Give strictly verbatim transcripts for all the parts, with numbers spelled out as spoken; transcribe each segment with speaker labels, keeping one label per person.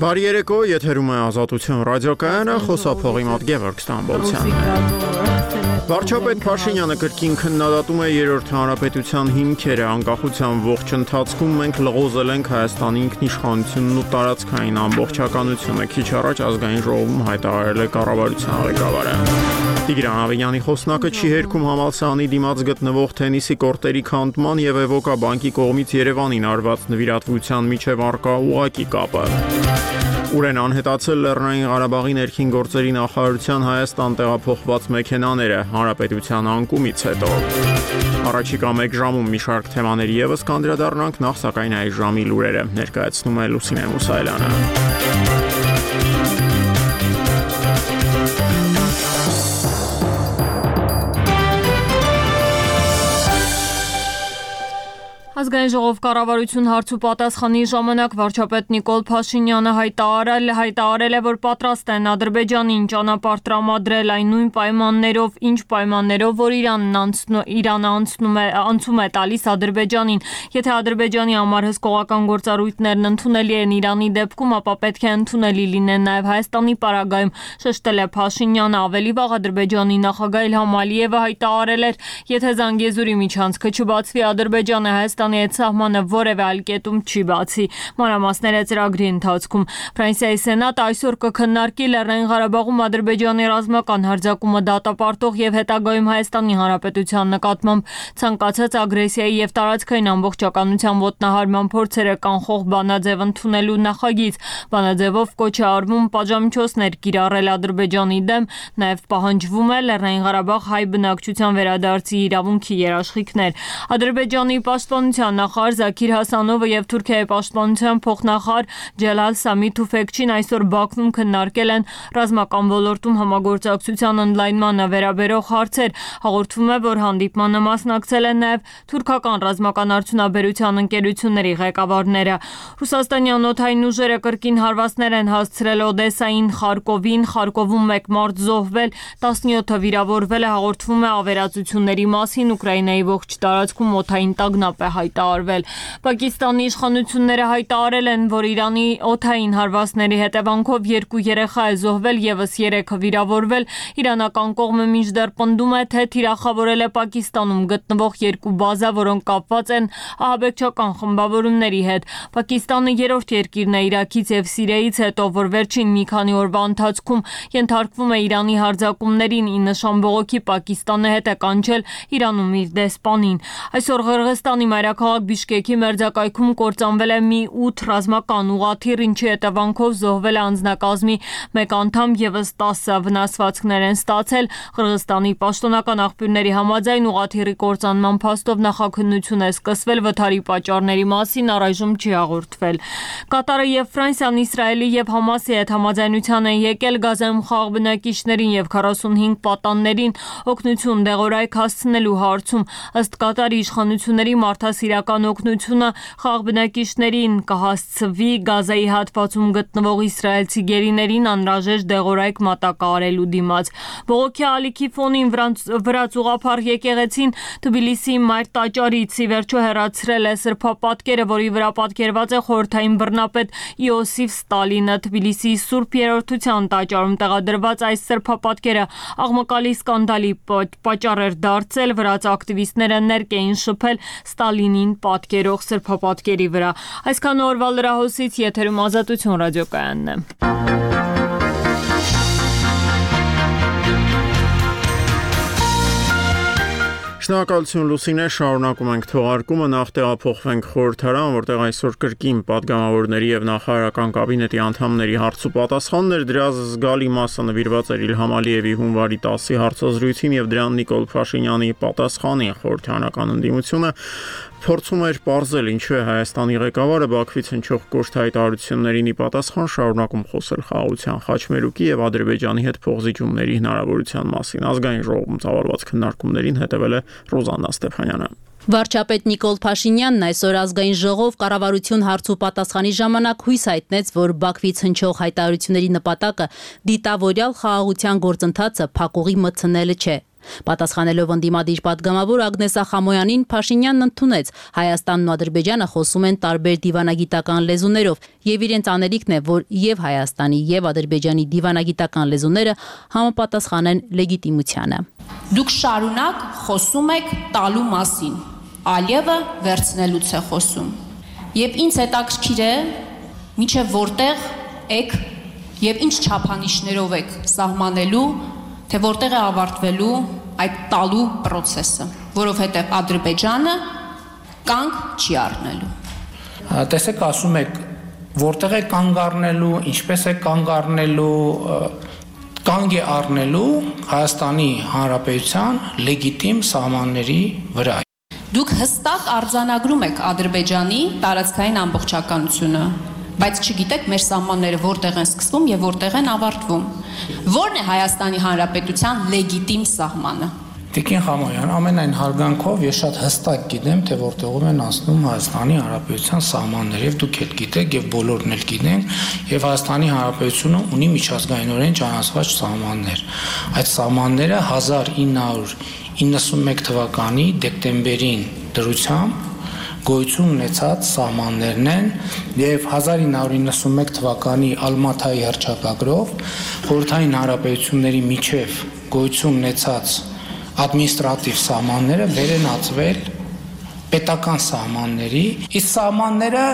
Speaker 1: Բարի երեկո, եթերում է Ազատություն ռադիոկայանը, խոսափողի մոտ Գևորգ Ստամբոլցյան։ Վարչապետ Փաշինյանը կրկին քննադատում է երրորդ հանրապետության հիմքերը, անկախության ողջ ընթացքում մենք լղոզել ենք Հայաստանի ինքնիշխանությունն ու տարածքային ամբողջականությունը, քիչ առաջ ազգային ժողովում հայտարարել է կառավարության ղեկավարը։ Տիգրան Ավենյանի խոսնակը չի հերքում համալսարանի դիմաց գտնվող թենիսի կորտերի քանդման եւ Էվոկա բանկի կողմից Երևանին արված նվիրատվության միջև առկա ուղղակի կապը։ Ուր են անհետացել Լեռնային Ղարաբաղի ներքին գործերի նախարարության Հայաստան տեղափոխված մեքենաները հանրապետության անկումից հետո։ Առաջիկա մեկ ժամում մի շարք թեմաների ևս կանդրադառնանք, նախ սակայն այս ժամի լուրերը ներկայացնում է Լուսինե Մուսայելյանը։
Speaker 2: Ազգային ժողով կառավարություն հարց ու պատասխանի ժամանակ վարչապետ Նիկոլ Փաշինյանը հայտարարել, հայտարարել է, որ պատրաստ են Ադրբեջանին ճանապարհ տրամադրել այն նույն պայմաններով, ինչ պայմաններով, որ Իրանն անցնում, Իրանը անցնում է, անցում է տալիս Ադրբեջանին։ Եթե Ադրբեջանի համար հսկողական գործառույթներն ընդունելի են Իրանի դեպքում, ապա պետք է ընդունելի լինեն նաև Հայաստանի պարագայում, շեշտել է Փաշինյանը։ Ավելի վաղ Ադրբեջանի նախագահ Իլհամ Ալիևը հայտարարել էր, եթե Զանգեզուրի միջանցքը չբացվի, Ադրբեջանը Հայաստանի այդ սահմանը որևէ այլ կետում չի բացի։ Մանրամասները ծրագրի ընթացքում։ Ֆրանսիայի սենատը այսօր կքննարկի Լեռնային Ղարաբաղում Ադրբեջանի ռազմական հարձակումը դատապարտող եւ հետագայում Հայաստանի Հանրապետության նկատմամբ ցանկացած ագրեսիայի եւ տարածքային ամբողջականության ոտնահարման փորձերը կանխող բանաձև ընդունելու նախագիծ։ Բանաձևով կոչ է արվում պատժամիջոցներ կիրառել Ադրբեջանի դեմ, նաեւ պահանջվում է Լեռնային Ղարաբաղ հայ բնակչության վերադարձի իրավունքի երաշխիքներ։ Ադրբեջանի պաշտպանության նախարար Զաքիր Հասանովը եւ Թուրքիայի պաշտպանության փոխնախարար Ջելալ Սամի Թուֆեկչին այսօր Բաքվում քննարկել են ռազմական ոլորտում համագործակցության ընդլայնմանը վերաբերող հարցեր։ Հաղորդվում է, որ հանդիպմանը մասնակցել են նաեւ թուրքական ռազմական արդյունաբերության ընկերությունների ղեկավարները։ Ռուսաստանյան օդային ուժերը կրկին հարվածներ են հասցրել Օդեսային, Խարկովին, Խարկովում մեկ մարդ զոհվել, տասնյոթը վիրավորվել է։ Հաղորդվում է ավերածությունների մասին, Ուկրաինայի ողջ տարածքում օդային տագնապ է հայտարարվել։ Պակիստանի իշխանությունները հայտարարել են, որ Իրանի օդային հարվածների հետևանքով երկու երեխա է զոհվել, ևս երեքը վիրավորվել։ Իրանական կողմը մինչդեռ պնդում է, թե թիրախավորել է Պակիստանում գտնվող երկու բազա, որոնք կապված են ահաբեկչական խմբավորումների հետ։ Պակիստանը երրորդ երկիրն է Իրաքից եւ Սիրիայից հետո, որ վերջին մի քանի օրվա ընթացքում ենթարկվում է Իրանի հարձակումներին, ի նշան բողոքի Պակիստանը հետ է կանչել Իրանում իր դեսպանին։ Այսօր Ղրղստանի մայրաքաղաք Բիշկեկի մերձակայքում կործանվել է մի ութ ռազմական ուղղաթիռ, ինչի հետևանքով զոհվել է անձնակազմի մեկ անդամ, ևս տասը վնասվածքներ են ստացել։ Ղրղստանի պաշտոնական աղբյուրների համաձայն ուղղաթիռի կործանման փաստով նախաքննություն է սկսվել, վթարի պատճառների մասին առայժմ չի հաղորդվել։ Կատարը եւ Ֆրանսիան Իսրայելի եւ Համասի հետ համաձայնության են եկել Գազայում խաղաղ բնակիչներին եւ քառասունհինգ պատաններին օգնություն դեղորայք հասցնելու հարցում։ Ըստ Կատարի իշխանությունների մարդասիրական օգնությունը խաղաղ բնակիչներին կհասցվի Գազայի հատվածում գտնվող իսրայելցի գերիներին անհրաժեշտ դեղորայք մատակարարելու դիմաց։ Բողոքի ալիքի ֆոնին վրաց ուղղափառ եկեղեցին Թբիլիսիի մայր տաճարից ի վերջո հեռացրել է սրբապատկերը, որի վրա պատկերված է խորհրդային բռնապետ Իոսիֆ Ստալինը։ Թբիլիսիի Սուրբ Երրորդության տաճարում տեղադրված այս սրբապատկերը աղմկալի սկանդալի պատճառ էր դարձել։ Վրաց ակտիվիստները ներկ էին շփել Ստալինին պատկերող սրբապատկերի վրա։ Այսքան օրվա լրահոսից եթերում Ազատություն ռադիոկայանն է։
Speaker 1: Շնորհակալություն Լուսինե, շարունակում ենք թողարկումը, նախ տեղափոխվենք խորհրդարան, որտեղ այսօր կրկին պատգամավորների եւ նախարարական կաբինետի անդամների հարց ու պատասխաններ, դրա զգալի մասը նվիրված էր Իլհամ Ալիևի հունվարի տասի հարցազրույցին եւ դրան Նիկոլ Փաշինյանի պատասխանին։ Խորհրդարանական ընդդիմությունը փորձում էր պարզել, ինչու է Հայաստանի ղեկավարը Բաքվից հնչող կոշտ հայտարարություններին ի պատասխան շարունակում խոսել խաղաղության խաչմերուկի եւ Ադրբեջանի հետ փոխզիջումների հնարավորության մասին։ Ազգային ժողովում ծավալված քննարկումներին հետևել է Ռոզաննա Ստեփանյանը։
Speaker 3: Վարչապետ Նիկոլ Փաշինյանն այսօր ազգային ժողով կառավարություն հարց ու պատասխանի ժամանակ հույս հայտնեց, որ Բաքվից հնչող հայտարարությունների նպատակը դիտավորյալ խաղաղության գործընթացը փակուղի մտցնելը չէ։ Պատասխանելով ընդդիմադիր պատգամավոր Ագնես Ախամոյանին, Փաշինյանն ընդունեց Հայաստանն ու Ադրբեջանը խոսում են տարբեր դիվանագիտական լեզուներով եւ իրենց անելիքն է, որ եւ Հայաստանի եւ Ադրբեջանի դիվանագիտական լեզուները համապատասխանեն լեգիտիմությանը։
Speaker 4: Դուք շարունակ խոսում եք տալու մասին, Ալիևը վերցնելուց է խոսում։ Եվ ինձ հետաքրքիր է, մինչև որտեղ եք եւ ինչ չափանիշներով եք սահմանելու, թե որտեղ է ավարտվելու այդ տալու process-ը, որովհետև Ադրբեջանը կանգ չի առնելու։
Speaker 5: Տեսեք, ասում եք, որտեղ է կանգ առնելու, ինչպես է կանգ առնելու, կանգ է առնելու Հայաստանի Հանրապետության լեգիտիմ սահմանների վրա։
Speaker 4: Դուք հստակ արձանագրում եք Ադրբեջանի տարածքային ամբողջականությունը, բայց չգիտեք մեր սահմանները որտեղ են սկսվում եւ որտեղ են ավարտվում։ Որն է Հայաստանի Հանրապետության լեգիտիմ սահմանը։
Speaker 5: Տիկին Խամոյան, ամենայն հարգանքով ես շատ հստակ գիտեմ, թե որտեղով են անցնում Հայաստանի Հանրապետության սահմանները, եւ դուք էլ գիտեք եւ բոլորն էլ գիտեն, եւ Հայաստանի Հանրապետությունը ունի միջազգայինորեն ճանաչված սահմաններ։ Այդ սահմանները հազար ինը հարյուր իննսունմեկ թվականի դեկտեմբերին դրությամբ գոյություն ունեցած սահմաններն են եւ հազար ինը հարյուր իննսունմեկ թվականի Ալմաթայի հռչակագրով խորհրդային հանրապետությունների միջև գոյություն ունեցած ադմինիստրատիվ սահմանները վերենացվել պետական սահմանների, իսկ սահմանները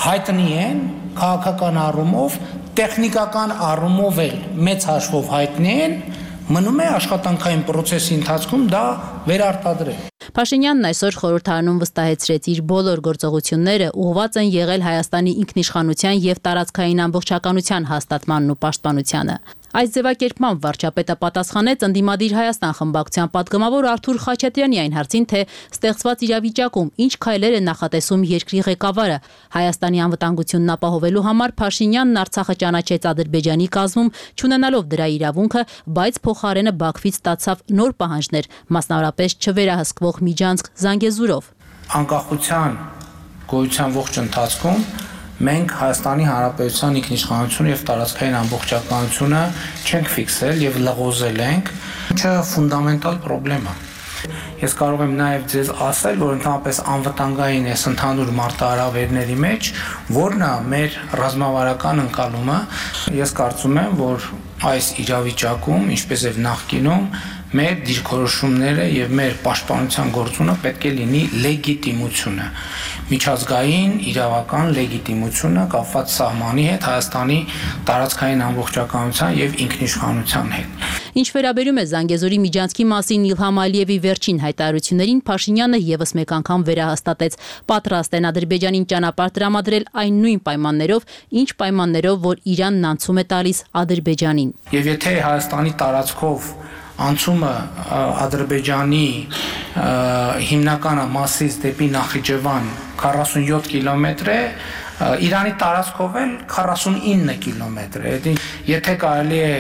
Speaker 5: հայտնի են քաղաքական առումով, տեխնիկական առումով էլ մեծ հաշվով հայտնի են, մնում է աշխատանքային process-ի ընթացքում դա վերարտադրել։
Speaker 3: Փաշինյանն այսօր խորհրդարանում վստահեցրեց իր բոլոր գործողությունները ուղղված են եղել Հայաստանի ինքնիշխանության եւ տարածքային ամբողջականության հաստատմանն ու պաշտպանությանը։ Այս ձևակերպմամբ վարչապետը պատասխանեց ընդդիմադիր Հայաստան խմբակցության պատգամավոր Արթուր Խաչատրյանի այն հարցին, թե ստեղծված իրավիճակում ինչ քայլեր է նախատեսում երկրի ղեկավարը։ Հայաստանի անվտանգությունն ապահովելու համար Փաշինյանն Արցախը ճանաչեց Ադրբեջանի կազմում, չունենալով դրա իրավունքը, բայց փոխարենը Բաքվից ստացավ նոր պահանջներ, մասնավորապես չվերահսկվող միջանցք Զանգեզուրով։
Speaker 5: Անկախության գոյության ողջ ընթացքում մենք Հայաստանի Հանրապետության ինքնիշխանությունը եւ տարածքային ամբողջականությունը չենք ֆիքսել եւ լղոզել ենք, ինչը ֆունդամենտալ խնդրեմ է։ Ես կարող եմ նաեւ ձեզ ասել, որ ընդհանրապես անվտանգային այս ընդհանուր մարտահրավերների մեջ, որն է մեր ռազմավարական ընկալումը, ես կարծում եմ, որ այս իրավիճակում, ինչպես եւ նախկինում, մեր դիրքորոշումները եւ մեր պաշտպանության գործունը պետք է լինի լեգիտիմությունը, միջազգային իրավական լեգիտիմությունը կապված սահմանի հետ, Հայաստանի տարածքային ամբողջականության եւ ինքնիշխանության հետ։
Speaker 3: Ինչ վերաբերում է Զանգեզուրի միջանցքի մասին Իլհամ Ալիևի վերջին հայտարարություններին, Փաշինյանը եւս մեկ անգամ վերահաստատեց, պատրաստ են Ադրբեջանին ճանապարհ տրամադրել այն նույն պայմաններով, ինչ պայմաններով, որ Իրանն անցում է տալիս Ադրբեջանին։
Speaker 5: Եվ եթե Հայաստանի տարածքով անցումը Ադրբեջանի հիմնականը Մասիս դեպի Նախիջևան քառասունյոթ կիլոմետր է, Իրանի տարածքով էլ քառասունինը կիլոմետր է։ Եթե կարելի է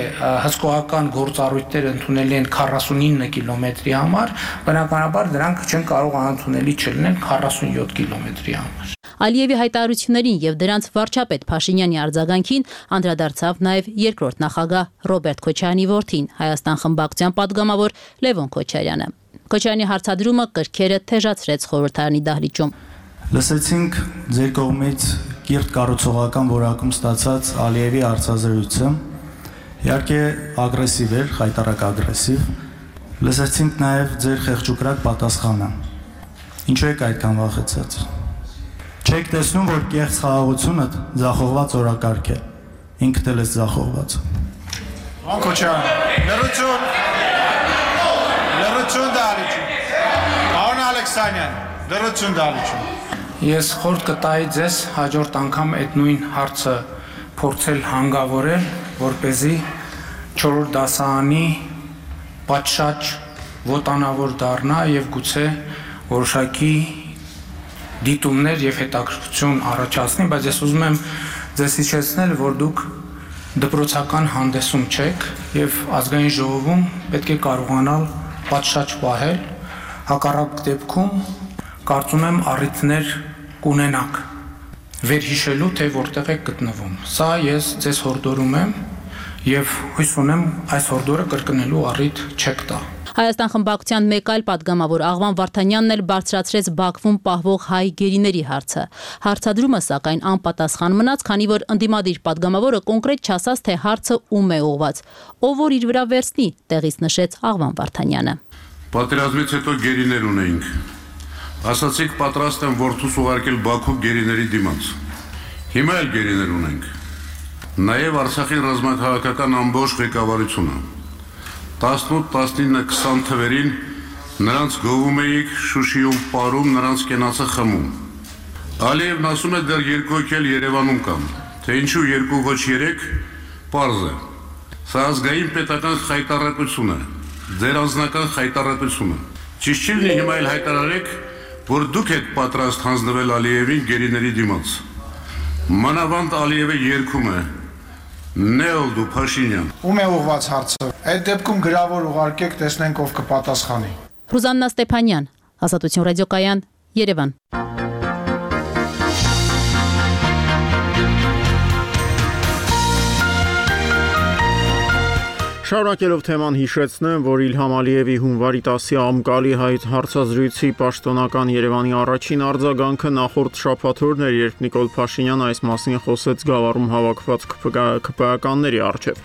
Speaker 5: հսկողական գործառույթներ ընդունելի են քառասունինը կիլոմետրի համար, բնականաբար դրանք չեն կարող անընդունելի չլինեն քառասունյոթ կիլոմետրի համար։
Speaker 3: Ալիևի հայտարարություններին եւ դրանց վարչապետ Փաշինյանի արձագանքին անդրադարձավ նաեւ երկրորդ նախագահ Ռոբերտ Քոչարյանի որդին, Հայաստան խմբակցության падգամավոր Լևոն Քոչարյանը։ Քոչարյանի հարցադրումը կրքերը թեժացրեց խորհրդարանի դահլիճում։
Speaker 6: Լսեցինք ձեր կողմից կիրթ կառուցողական որակում ստացած Ալիևի հարցազրույցը, իհարկե ագրեսիվ էր, խայտառակ ագրեսիվ։ Լսեցինք նաեւ ձեր խեղճուկրակ պատասխանը։ Ինչու եք այդքան վախեցած։ Չեք տեսնում, որ կեղծ խաղաղությունը ձախողված օրակարգ է։ Ինքդ էլ ես ձախողված։
Speaker 7: Քոչարյան, լրություն։ Լրություն դալիճում։ Պարոն Ալեքսանյան, լրություն դալիճում։
Speaker 5: Ես խորհուրդ կտայի ձեզ հաջորդ անգամ այդ նույն հարցը փորձել հանգավորել, որպեսզի չորրորդ դասարանի պատշաճ ոտանավոր դառնա եւ գուցե որոշակի դիտումներ եւ հետաքրքրություն առաջացնի, բայց ես ուզում եմ ձեզ հիշեցնել, որ դուք դպրոցական հանդեսում չեք եւ ազգային ժողովում պետք է կարողանալ պատշաճ պահել, հակառակ դեպքում կարծում եմ առիթներ կունենաք վերհիշելու, թե որտեղ եք գտնվում։ Սա ես ձեզ հորդորում եմ եւ հույս ունեմ այս հորդորը կրկնելու առիթ չեք տա։
Speaker 3: Հայաստան խմբակցության մեկ այլ պատգամավոր Աղվան Վարդանյանն էլ բարձրացրեց Բաքվում պահվող հայ գերիների հարցը։ Հարցադրումը սակայն անպատասխան մնաց, քանի որ ընդդիմադիր պատգամավորը կոնկրետ չասաց, թե հարցը ում է ուղղված։ Ով որ իր վրա վերցնի, տեղից նշեց Աղվան Վարդանյանը։
Speaker 8: Պատերազմից հետո գերիներ ունեինք։ Ասացիք պատրաստ եմ որդուս ուղարկել Բաքու գերիների դիմաց։ Հիմա էլ գերիներ ունենք։ Նաև Արցախի ռազմաքաղաքական ամբողջ ղեկավարությունը։ տասնութ, տասնինը, քսան թվերին նրանց գովում էիք, Շուշիում պարում, նրանց կենացը խմում։ Ալիևն ասում է դեռ երկու հոգի էլ Երևանում կան, թե ինչու երկու ոչ երեք, պարզ է։ Սա ազգային պետական խայտառակություն է, ձեր անձնական խայտառակությունը։ Ճիշտ չի լինի հիմա էլ հայտարարեք, որ դուք եք պատրաստ հանձնվել Ալիևին գերիների դիմաց։ Մանավանդ Ալիևը երգում է. Նեոլդու Փաշինյան։
Speaker 7: Ում է ուղված հարցը։ Այդ դեպքում գրավոր ուղարկեք, տեսնենք ով կպատասխանի։
Speaker 3: Ռուզաննա Ստեփանյան, Ազատություն ռադիոկայան, Երևան։
Speaker 1: Շարունակելով թեման հիշեցնեմ, որ Իլհամ Ալիևի հունվարի տասի անկալի հայտ հարցազրույցի պաշտոնական Երևանի առաջին արձագանքը նախորդ շաբաթօրն էր, երբ Նիկոլ Փաշինյանը այս մասին խոսեց Գավառում հավաքված ԿՊԿ-ականների առջև։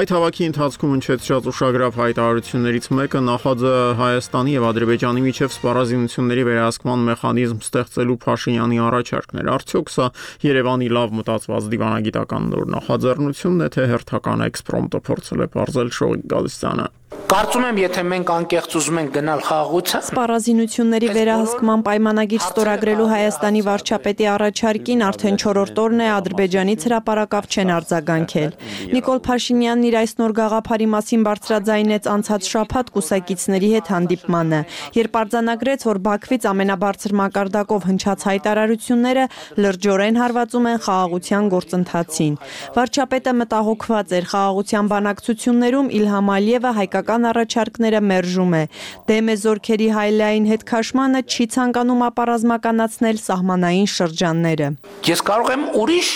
Speaker 1: Այդ հավաքի ընթացքում հնչեցրած ուշագրավ հայտարարություններից մեկը նախաձը Հայաստանի եւ Ադրբեջանի միջև սպառազինությունների վերահսկման մեխանիզմ ստեղծելու Փաշինյանի առաջարկն էր։ Արդյոք սա Երևանի լավ մտածված դիվանագիտական նոր նախաձեռնությունն է, թե հերթական էքսպրոմտը փորձել է բարձել Շողիկ Գալստյանը։
Speaker 5: Կարծում եմ, եթե մենք անկեղծ ուզում ենք գնալ խաղաղության,
Speaker 2: Սպառազինությունների վերահսկման պայմանագիր ստորագրելու Հայաստանի վարչապետի առաջարկին արդեն չորրորդ օրն է Ադրբեջանից հրապարակավ չեն արձագանքել։ Նիկոլ Փաշինյանն իր այս նոր գաղափարի մասին բարձրաձայնեց անցած շաբաթ կուսակիցների հետ հանդիպմանը, երբ արձանագրեց, որ Բաքվից ամենաբարձր մակարդակով հնչած հայտարարությունները լրջորեն հարվածում են խաղաղության գործընթացին։ Վարչապետը մտահոգված էր խաղաղության բանակցություններում Իլհամ Ալիևը հայկական առաջարկները մերժում է։ Դեմ է զորքերի հայլային հետ քաշմանը, չի ցանկանում ապառազմականացնել սահմանային շրջանները։
Speaker 5: Ես կարող եմ ուրիշ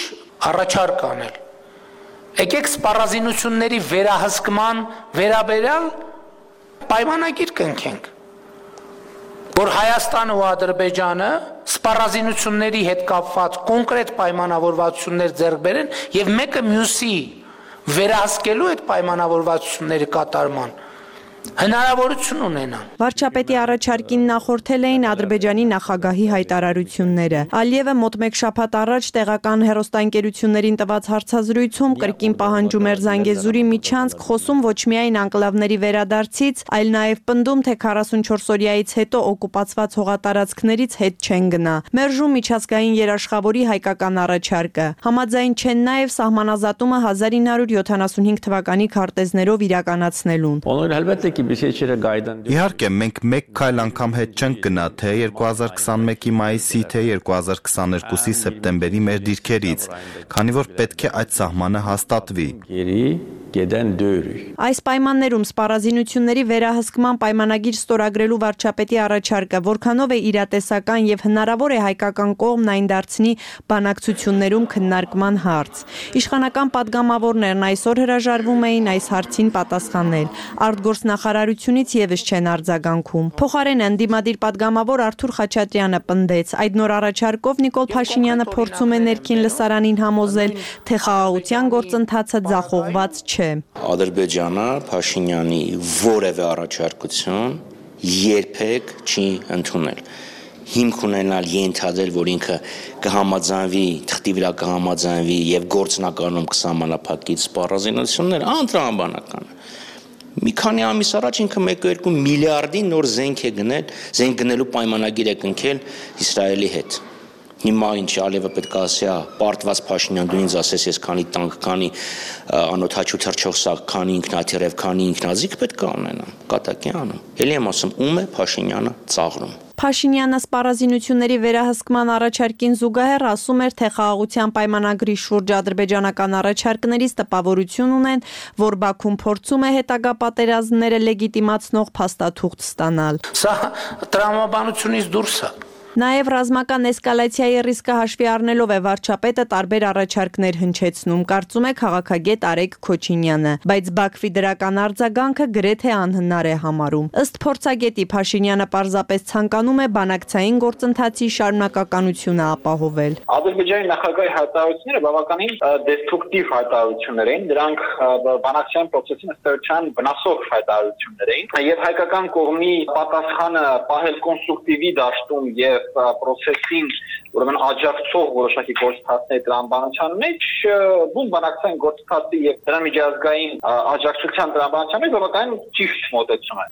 Speaker 5: առաջարկ անել։ Եկեք սպառազինությունների վերահսկման վերաբերյալ պայմանագիր կնքենք, որ Հայաստանը ու Ադրբեջանը սպառազինությունների հետ կապված կոնկրետ պայմանավորվածություններ ձեռք բերեն եւ մեկը մյուսի վերահսկելու այդ պայմանավորվածությունների կատարման հնարավորություն ունենան։
Speaker 2: Վարչապետի առաջարկին նախորդել էին Ադրբեջանի նախագահի հայտարարությունները։ Ալիևը մոտ մեկ շաբաթ առաջ տեղական հեռուստաընկերություններին տված հարցազրույցում կրկին պահանջում էր Զանգեզուրի միջանցք, խոսում ոչ միայն անկլավների վերադարձից, այլ նաև պնդում, թե քառասունչորս օրյայից հետո օկուպացված հողատարածքներից հետ չեն գնա։ Մերժում միջազգային երաշխավորի հայկական առաջարկը։ Համաձայն չեն նաև սահմանազատումը հազար ինը հարյուր յոթանասունհինգ թվականի քարտեզներով իրականացնելուն։
Speaker 9: Իհարկե, մենք մեկ քայլ անգամ հետ չենք գնա, թե երկու հազար քսանմեկի մայիսի, թե երկու հազար քսաներկուսի սեպտեմբերի մեր դիրքերից, քանի որ պետք է այդ սահմանը հաստատվի։
Speaker 2: Այս պայմաններում սպառազինությունների վերահսկման պայմանագիր ստորագրելու վարչապետի առաջարկը որքանով է իրատեսական եւ հնարավոր է հայկական կողմն այն դարձնի բանակցություններում քննարկման հարց։ Իշխանական падգամավորներն այսօր հրաժարվում էին այս հարցին պատասխանել։ Արտգործնախարարությունից եւս չեն արձագանքում։ Փոխարենը ընդդիմադիր падգամավոր Արթուր Խաչատրյանը պնդեց, այդ նոր առաջարկով Նիկոլ Փաշինյանը փորձում է ներքին լսարանին համոզել, թե խաղաղության գործընթացը ձախողված չէ։
Speaker 10: Ադրբեջանը Փաշինյանի որևէ առաջարկություն երբեք չի ընդունել։ Հիմք ունենալ ենթադրել, որ ինքը կհամաձայնվի, թղթի վրա կհամաձայնվի եւ գործնականում կսահմանափակի սպառազինություններ, անտրամաբանական է։ Մի քանի ամիս առաջ ինքը մեկ կόμma երկու միլիարդի նոր զենք է գնել, զենք գնելու պայմանագիր է կնքել Իսրայելի հետ։ Հիմա ինչ Ալիևը պետք է ասի, պարտված Փաշինյան, դու ինձ ասես, ես քանի տանկ, քանի անօթաչու թռչող սակ, քանի ինքնաթիռև, քանի ինքնաձիգ պետք է ունենամ, կատակի անում։ Էլի եմ ասում, ում է Փաշինյանը ծաղրում։
Speaker 2: Փաշինյանը սպառազինությունների վերահսկման առաջարկին զուգահեռ ասում էր, թե խաղաղության պայմանագրի շուրջ ադրբեջանական առաջարկներից տպավորություն ունեն, որ Բաքուն փորձում է հետագա պատերազմները լեգիտիմացնող փաստաթուղթ ստանալ։
Speaker 5: Սա տրամաբանությունից դուրս է։
Speaker 11: Նաև ռազմական էսկալացիայի ռիսկը հաշվի առնելով է վարչապետը տարբեր առաջարկներ հնչեցնում, կարծում է քաղաքագետ Արեգ Քոչինյանը, բայց Բաքվի դրական արձագանքը գրեթե անհնար է համարում։ Ըստ փորձագետի Փաշինյանը պարզապես ցանկանում է բանակցային գործընթացի շարունակականությունը ապահովել։
Speaker 12: Ադրբեջանի նախագահի հայտարարությունները բավականին դեստրուկտիվ հայտարարություններ էին, դրանք բանակցային process-ին ըստերության վնասող հայտարարություններ էին, եւ հայկական կողմի պատասխանը պահել կոնստրուկտիվի դաշտում եւ process-ին ուրեմն աջակցող որոշակի գործընթացների տրամաբանության մեջ բուն բանակցային գործընթացի եւ դրա միջազգային աջակցության տրամաբանության մեջ բավականին ճիշտ մոտեցում է,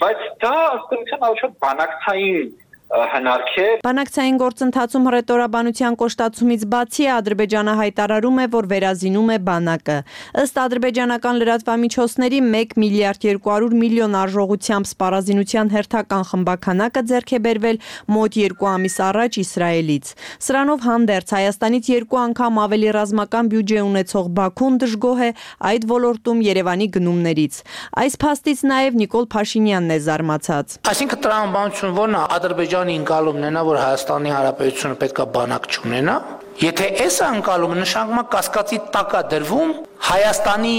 Speaker 12: բայց դա ըստերության առաջ բանակցային հնարք է։
Speaker 11: Բանակցային գործընթացում հռետորաբանության կոշտացումից բացի Ադրբեջանը հայտարարում է, որ վերազինում է բանակը։ Ըստ ադրբեջանական լրատվամիջոցների մեկ միլիարդ երկու հարյուր միլիոն արժողությամբ սպառազինության հերթական խմբաքանակը ձեռք է բերվել մոտ երկու ամիս առաջ Իսրայելից։ Սրանով հանդերձ Հայաստանից երկու անգամ ավելի ռազմական բյուջե ունեցող Բաքուն դժգոհ է այդ ոլորտում Երևանի գնումներից։ Այս փաստից նաև Նիկոլ Փաշինյանն է զարմացած։
Speaker 5: Այսինքն տրամաբանություն որն է Ադրբեջանի ընկալումն է, որ Հայաստանի Հանրապետությունը պետք է բանակ չունենա։ Եթե այս ընկալումը նշանակում է կասկածի տակ է դրվում Հայաստանի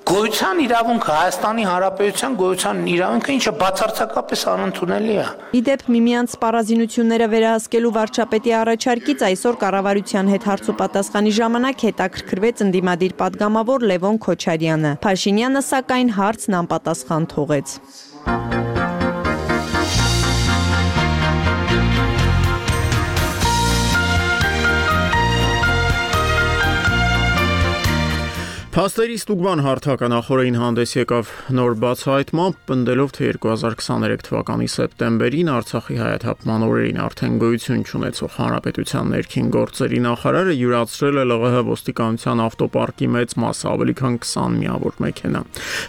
Speaker 5: գոյության իրավունքը, Հայաստանի Հանրապետության գոյության իրավունքը, ինչը բացարձակապես անընդունելի է։
Speaker 11: Իդեպ միմյանց սպառազինությունները վերահսկելու վարչապետի առաջարկից այսօր կառավարության հետ հարցուպատասխանի ժամանակ հետաքրքրվեց ընդդիմադիր պատգամավոր Լևոն Քոչարյանը։ Փաշինյանը սակայն հարցն անպատասխան թողեց։
Speaker 1: Փաստերի ստուգման հարթական նախորդին հանդես եկավ նոր բացահայտմամբ, պնդելով, թե երկու հազար քսաներեք թվականի սեպտեմբերին Արցախի հայաթափման օրերին արդեն գոյություն չունեցող Հանրապետության ներքին գործերի նախարարը յուրացրել է ԼՂՀ ոստիկանության ավտոպարկի մեծ մասը, ավելի քան քսան միավոր մեքենա։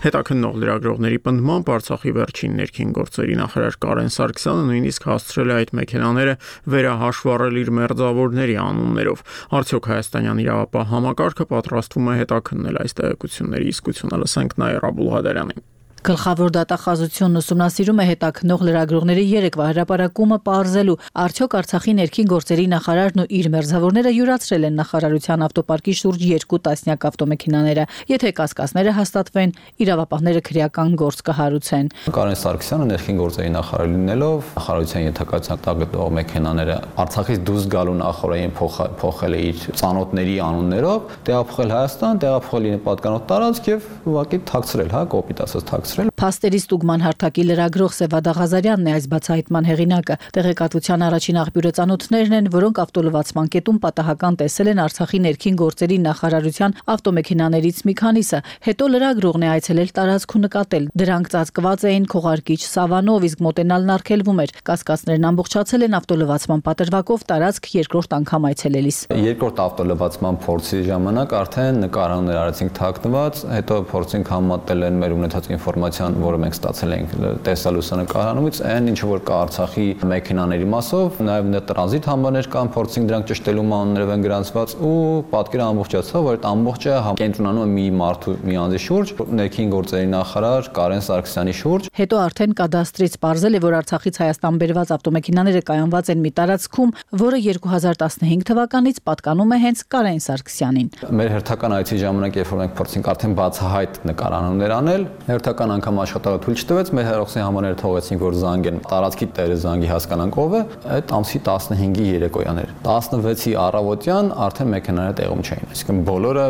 Speaker 1: Հետաքննող լրագրողների պնդմամբ Արցախի վերջին ներքին գործերի նախարար Կարեն Սարգսյանը նույնիսկ հասցրել է այդ մեքենաները վերահաշվառել իր մերձավորների անուններով։ Արդյոք հայաստանյան իրավապահ համակարգը պատրաստվում է հետաքննել այս տեղեկությունների իսկությունը, լսենք Նաիրա Աբուլղադարյանին։
Speaker 3: Գլխավոր դատախազությունն ուսումնասիրում է հետաքննող լրագրողների երեկվա հրապարակումը պարզելու, արդյոք Արցախի ներքին գործերի նախարարն ու իր մերձավորները յուրացրել են նախարարության ավտոպարկի շուրջ երկու տասնյակ ավտոմեքենաները, եթե կասկածները հաստատվեն, իրավապահները քրեական գործ կհարուցեն։
Speaker 13: Կարեն Սարգսյանը ներքին գործերի նախարար լինելով նախարարության ենթակայության տակ գտնվող մեքենաները Արցախից դուրս գալու նախորդային փոխել է իր ծանոթների անուններով, տեղափոխել Հայաստան, տեղափոխել իր պատկանող տարածք եւ ուղղակի թաքցրել, հա, կոպիտ ասած թաքցրել։
Speaker 3: Փաստերի ստուգման հարթակի լրագրող Սևադա Ղազարյանն է այս բացահայտման հեղինակը։ Տեղեկատվության առաջին աղբյուրը ծանոթներն են, որոնք ավտոլվացման կետում պատահական տեսել են Արցախի ներքին գործերի նախարարության ավտոմեքենաներից մի քանիսը։ Հետո լրագրողն է այցելել տարածք ու նկատել։ Դրանք ծածկված էին քողարկիչ սավանով, իսկ մոտենալն արգելվում էր։ Կասկածներն ամբողջացել են ավտոլվացման պատրվակով տարածք երկրորդ անգամ այցելելիս։
Speaker 13: Երկրորդ ավտոլվացման փորձի ժամանակ արդեն նկարաններ արեցինք թաքնված, հետո փորձինք համատել են մեր ունեցած ինֆորմացիան, որը մենք ստացել ենք տեսա լուսանկարումից, այն ինչ որ կա Արցախի մեքենաների մասով, նաև նե տրանզիտ համարներ կան, փորձինք դրանք ճշտելու մանրով են գրանցված ու պատկերը ամբողջացավ, որ այդ ամբողջը կենտրոնանում է մի մարդու մի անձի շուրջ, ներքին գործերի նախարար Կարեն Սարգսյանի շուրջ։
Speaker 3: Հետո արդեն կադաստրից պարզել է, որ Արցախից Հայաստան բերված ավտոմեքենաները կայանված են մի տարածքում, որը երկու հազար տասնհինգ թվականից պատկանում է հենց Կարեն Սարգսյանին։
Speaker 13: Մեր հերթական այցի ժամանակ, երբ որ մենք փորձինք արդեն բացահայտ նկարանումներ անել, հերթական անգամ աշխատողը թույլ չտվեց, մեր հերոսի համաները թողեցինք, որ զանգեն, տարածքի տերը զանգի հասկանանք ով է, այդ ամսի տասնհինգի երեկոյան էր։ տասնվեցի առավոտյան արդեն մեքենաները տեղում չէին, այսինքն բոլորը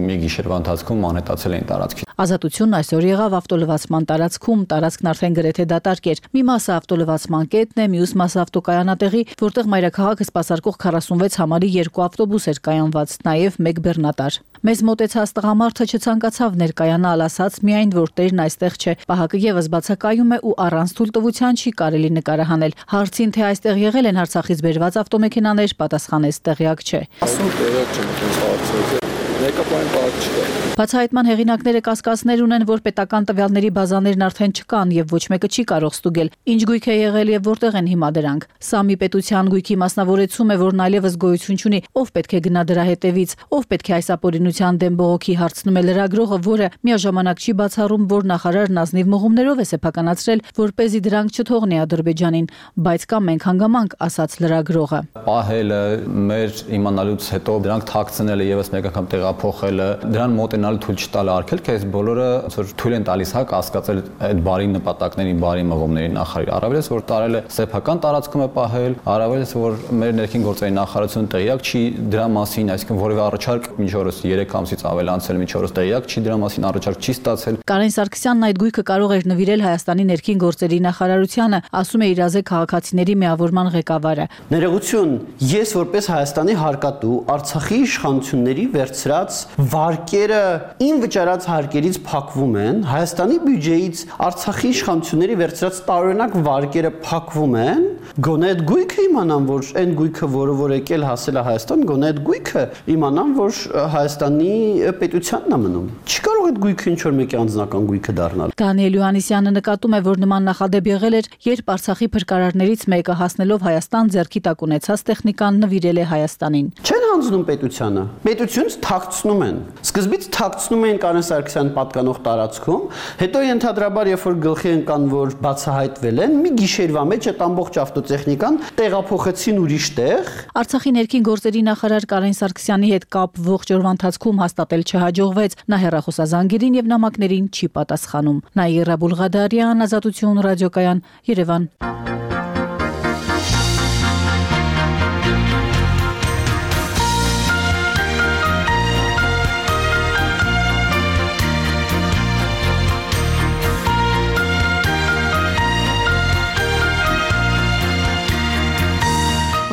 Speaker 13: մի գիշերվա ընթացքում անհետացել էին տարածքից։
Speaker 3: Ազատությունն այսօր եղավ ավտոլվացման տարածքում, տարածքն արդեն գրեթե դատարկ էր։ Մի մասը ավտոլվացման կետն է, մյուս մասը ավտոկայանատեղի, որտեղ մայրաքաղաքը սպասարկող քառասունվեց համարի երկու ավտոբուս էր կայանված, նաև մեկ բեռնատար։ Մեզ մոտեցած տղամարդը չցանկացավ ներկայանալ, ասաց միայն, որ տերն այստեղ չէ։ Պահակը եւս բացակայում է ու առանց թույլտվության չի կարելի նկարահանել։ Հարցին, թե այստեղ եղել են Արցախից բերված ավտոմեքենաներ, պատասխանեց տեղյակ չէ։
Speaker 14: Ասում տեղյակ չեմ, ոնց հարցը։ Մեկապային բառ չկա։
Speaker 3: Բացահայտման հեղինակները կասկածներ ունեն, որ պետական տվյալների բազաներն արդեն չկան եւ ոչ մեկը չի կարող ստուգել ինչ գույք է եղել եւ որտեղ են հիմա դրանք։ Սա մի պետության գույքի մասնավորեցում է, որն այլևս գոյություն չունի, ով պետք է գնա դրա հետևից, ով պետք է այս ապօրինության դեմ բողոքի հարցնում է լրագրողը, որը միաժամանակ չի բացառում, որ նախարարն ազնիվ մղումներով է սեփականացրել, որպեսզի դրանք չթողնի Ադրբեջանին, բայց կա մենք հանգամանք, ասաց լրագրողը։
Speaker 13: Պահելը, մեր իմանալուց հետո դրանք թաքցնելը եւս մեկ անգամ տեղափոխելը, դրան մոտենալու թույլ չտալը արգելք է, այս բոլորը որ թույլ են տալիս հա կասկածել այդ բարի նպատակներին, բարի մղումների նախարարի։ Առավելս որ տարել է սեփական տարածքում է պահել, առավելս որ մեր ներքին գործերի նախարարությունը տեղյակ չի դրա մասին, այսինքն որևէ առաջարկ մինչ օրս երեք ամսից ավել անցել մինչ օրս տեղյակ չի դրա մասին առաջարկ չի ստացել։
Speaker 3: Կարեն Սարգսյանն այդ գույքը կարող էր նվիրել Հայաստանի ներքին գործերի նախարարությանը, ասում է իրազեկ քաղաքացիների միավորման ղեկավարը։
Speaker 15: Ներողություն, ես որպես Հայաստանի հարկատու Արցախի իշխանությունների վերցրած վարկերը ին վճարած հարկերից փակվում են, Հայաստանի բյուջեից Արցախի իշխանությունների վերցրած տարօրինակ վարկերը փակվում են, գոնե այդ գույքը իմանան, որ այն գույքը, որը որ եկել հասել է Հայաստան, գոնե այդ գույքը իմանան, որ Հայաստանի պետությանն է մնում։ Չի կարող այդ գույքը ինչ որ մեկի անձնական գույքը դառնալ։
Speaker 3: Դանիել Յուհաննիսյանը նկատում է, որ նման նախադեպ եղել էր, երբ Արցախի փրկարարներից մեկը հասնելով Հայաստան ձեռքի տակ ունեցած տեխնիկան նվիրել է Հայաստանին։
Speaker 15: Չեն հանձնում պետությանը, պետությունից թաքցնում են։ Սկզբից թաքցնում էին Կարեն Սարգսյան պատկանող տարածքում, հետո ենթադրաբար երբ որ գլխի ընկան, որ բացահայտվել են, մի գիշերվա մեջ այդ ամբողջ ավտոտեխնիկան տեղափոխեցին ուրիշ տեղ։
Speaker 3: Արցախի ներքին գործերի նախարար Կարեն Սարգսյանի հետ կապ ողջ օրվա ընթացքում հաստատել չհաջողվեց, նա հեռախոսազանգերին եւ նամակներին չի պատասխանում։ Նաիրա Բուլղադարյան, Ազատություն ռադիոկայան, Երևան։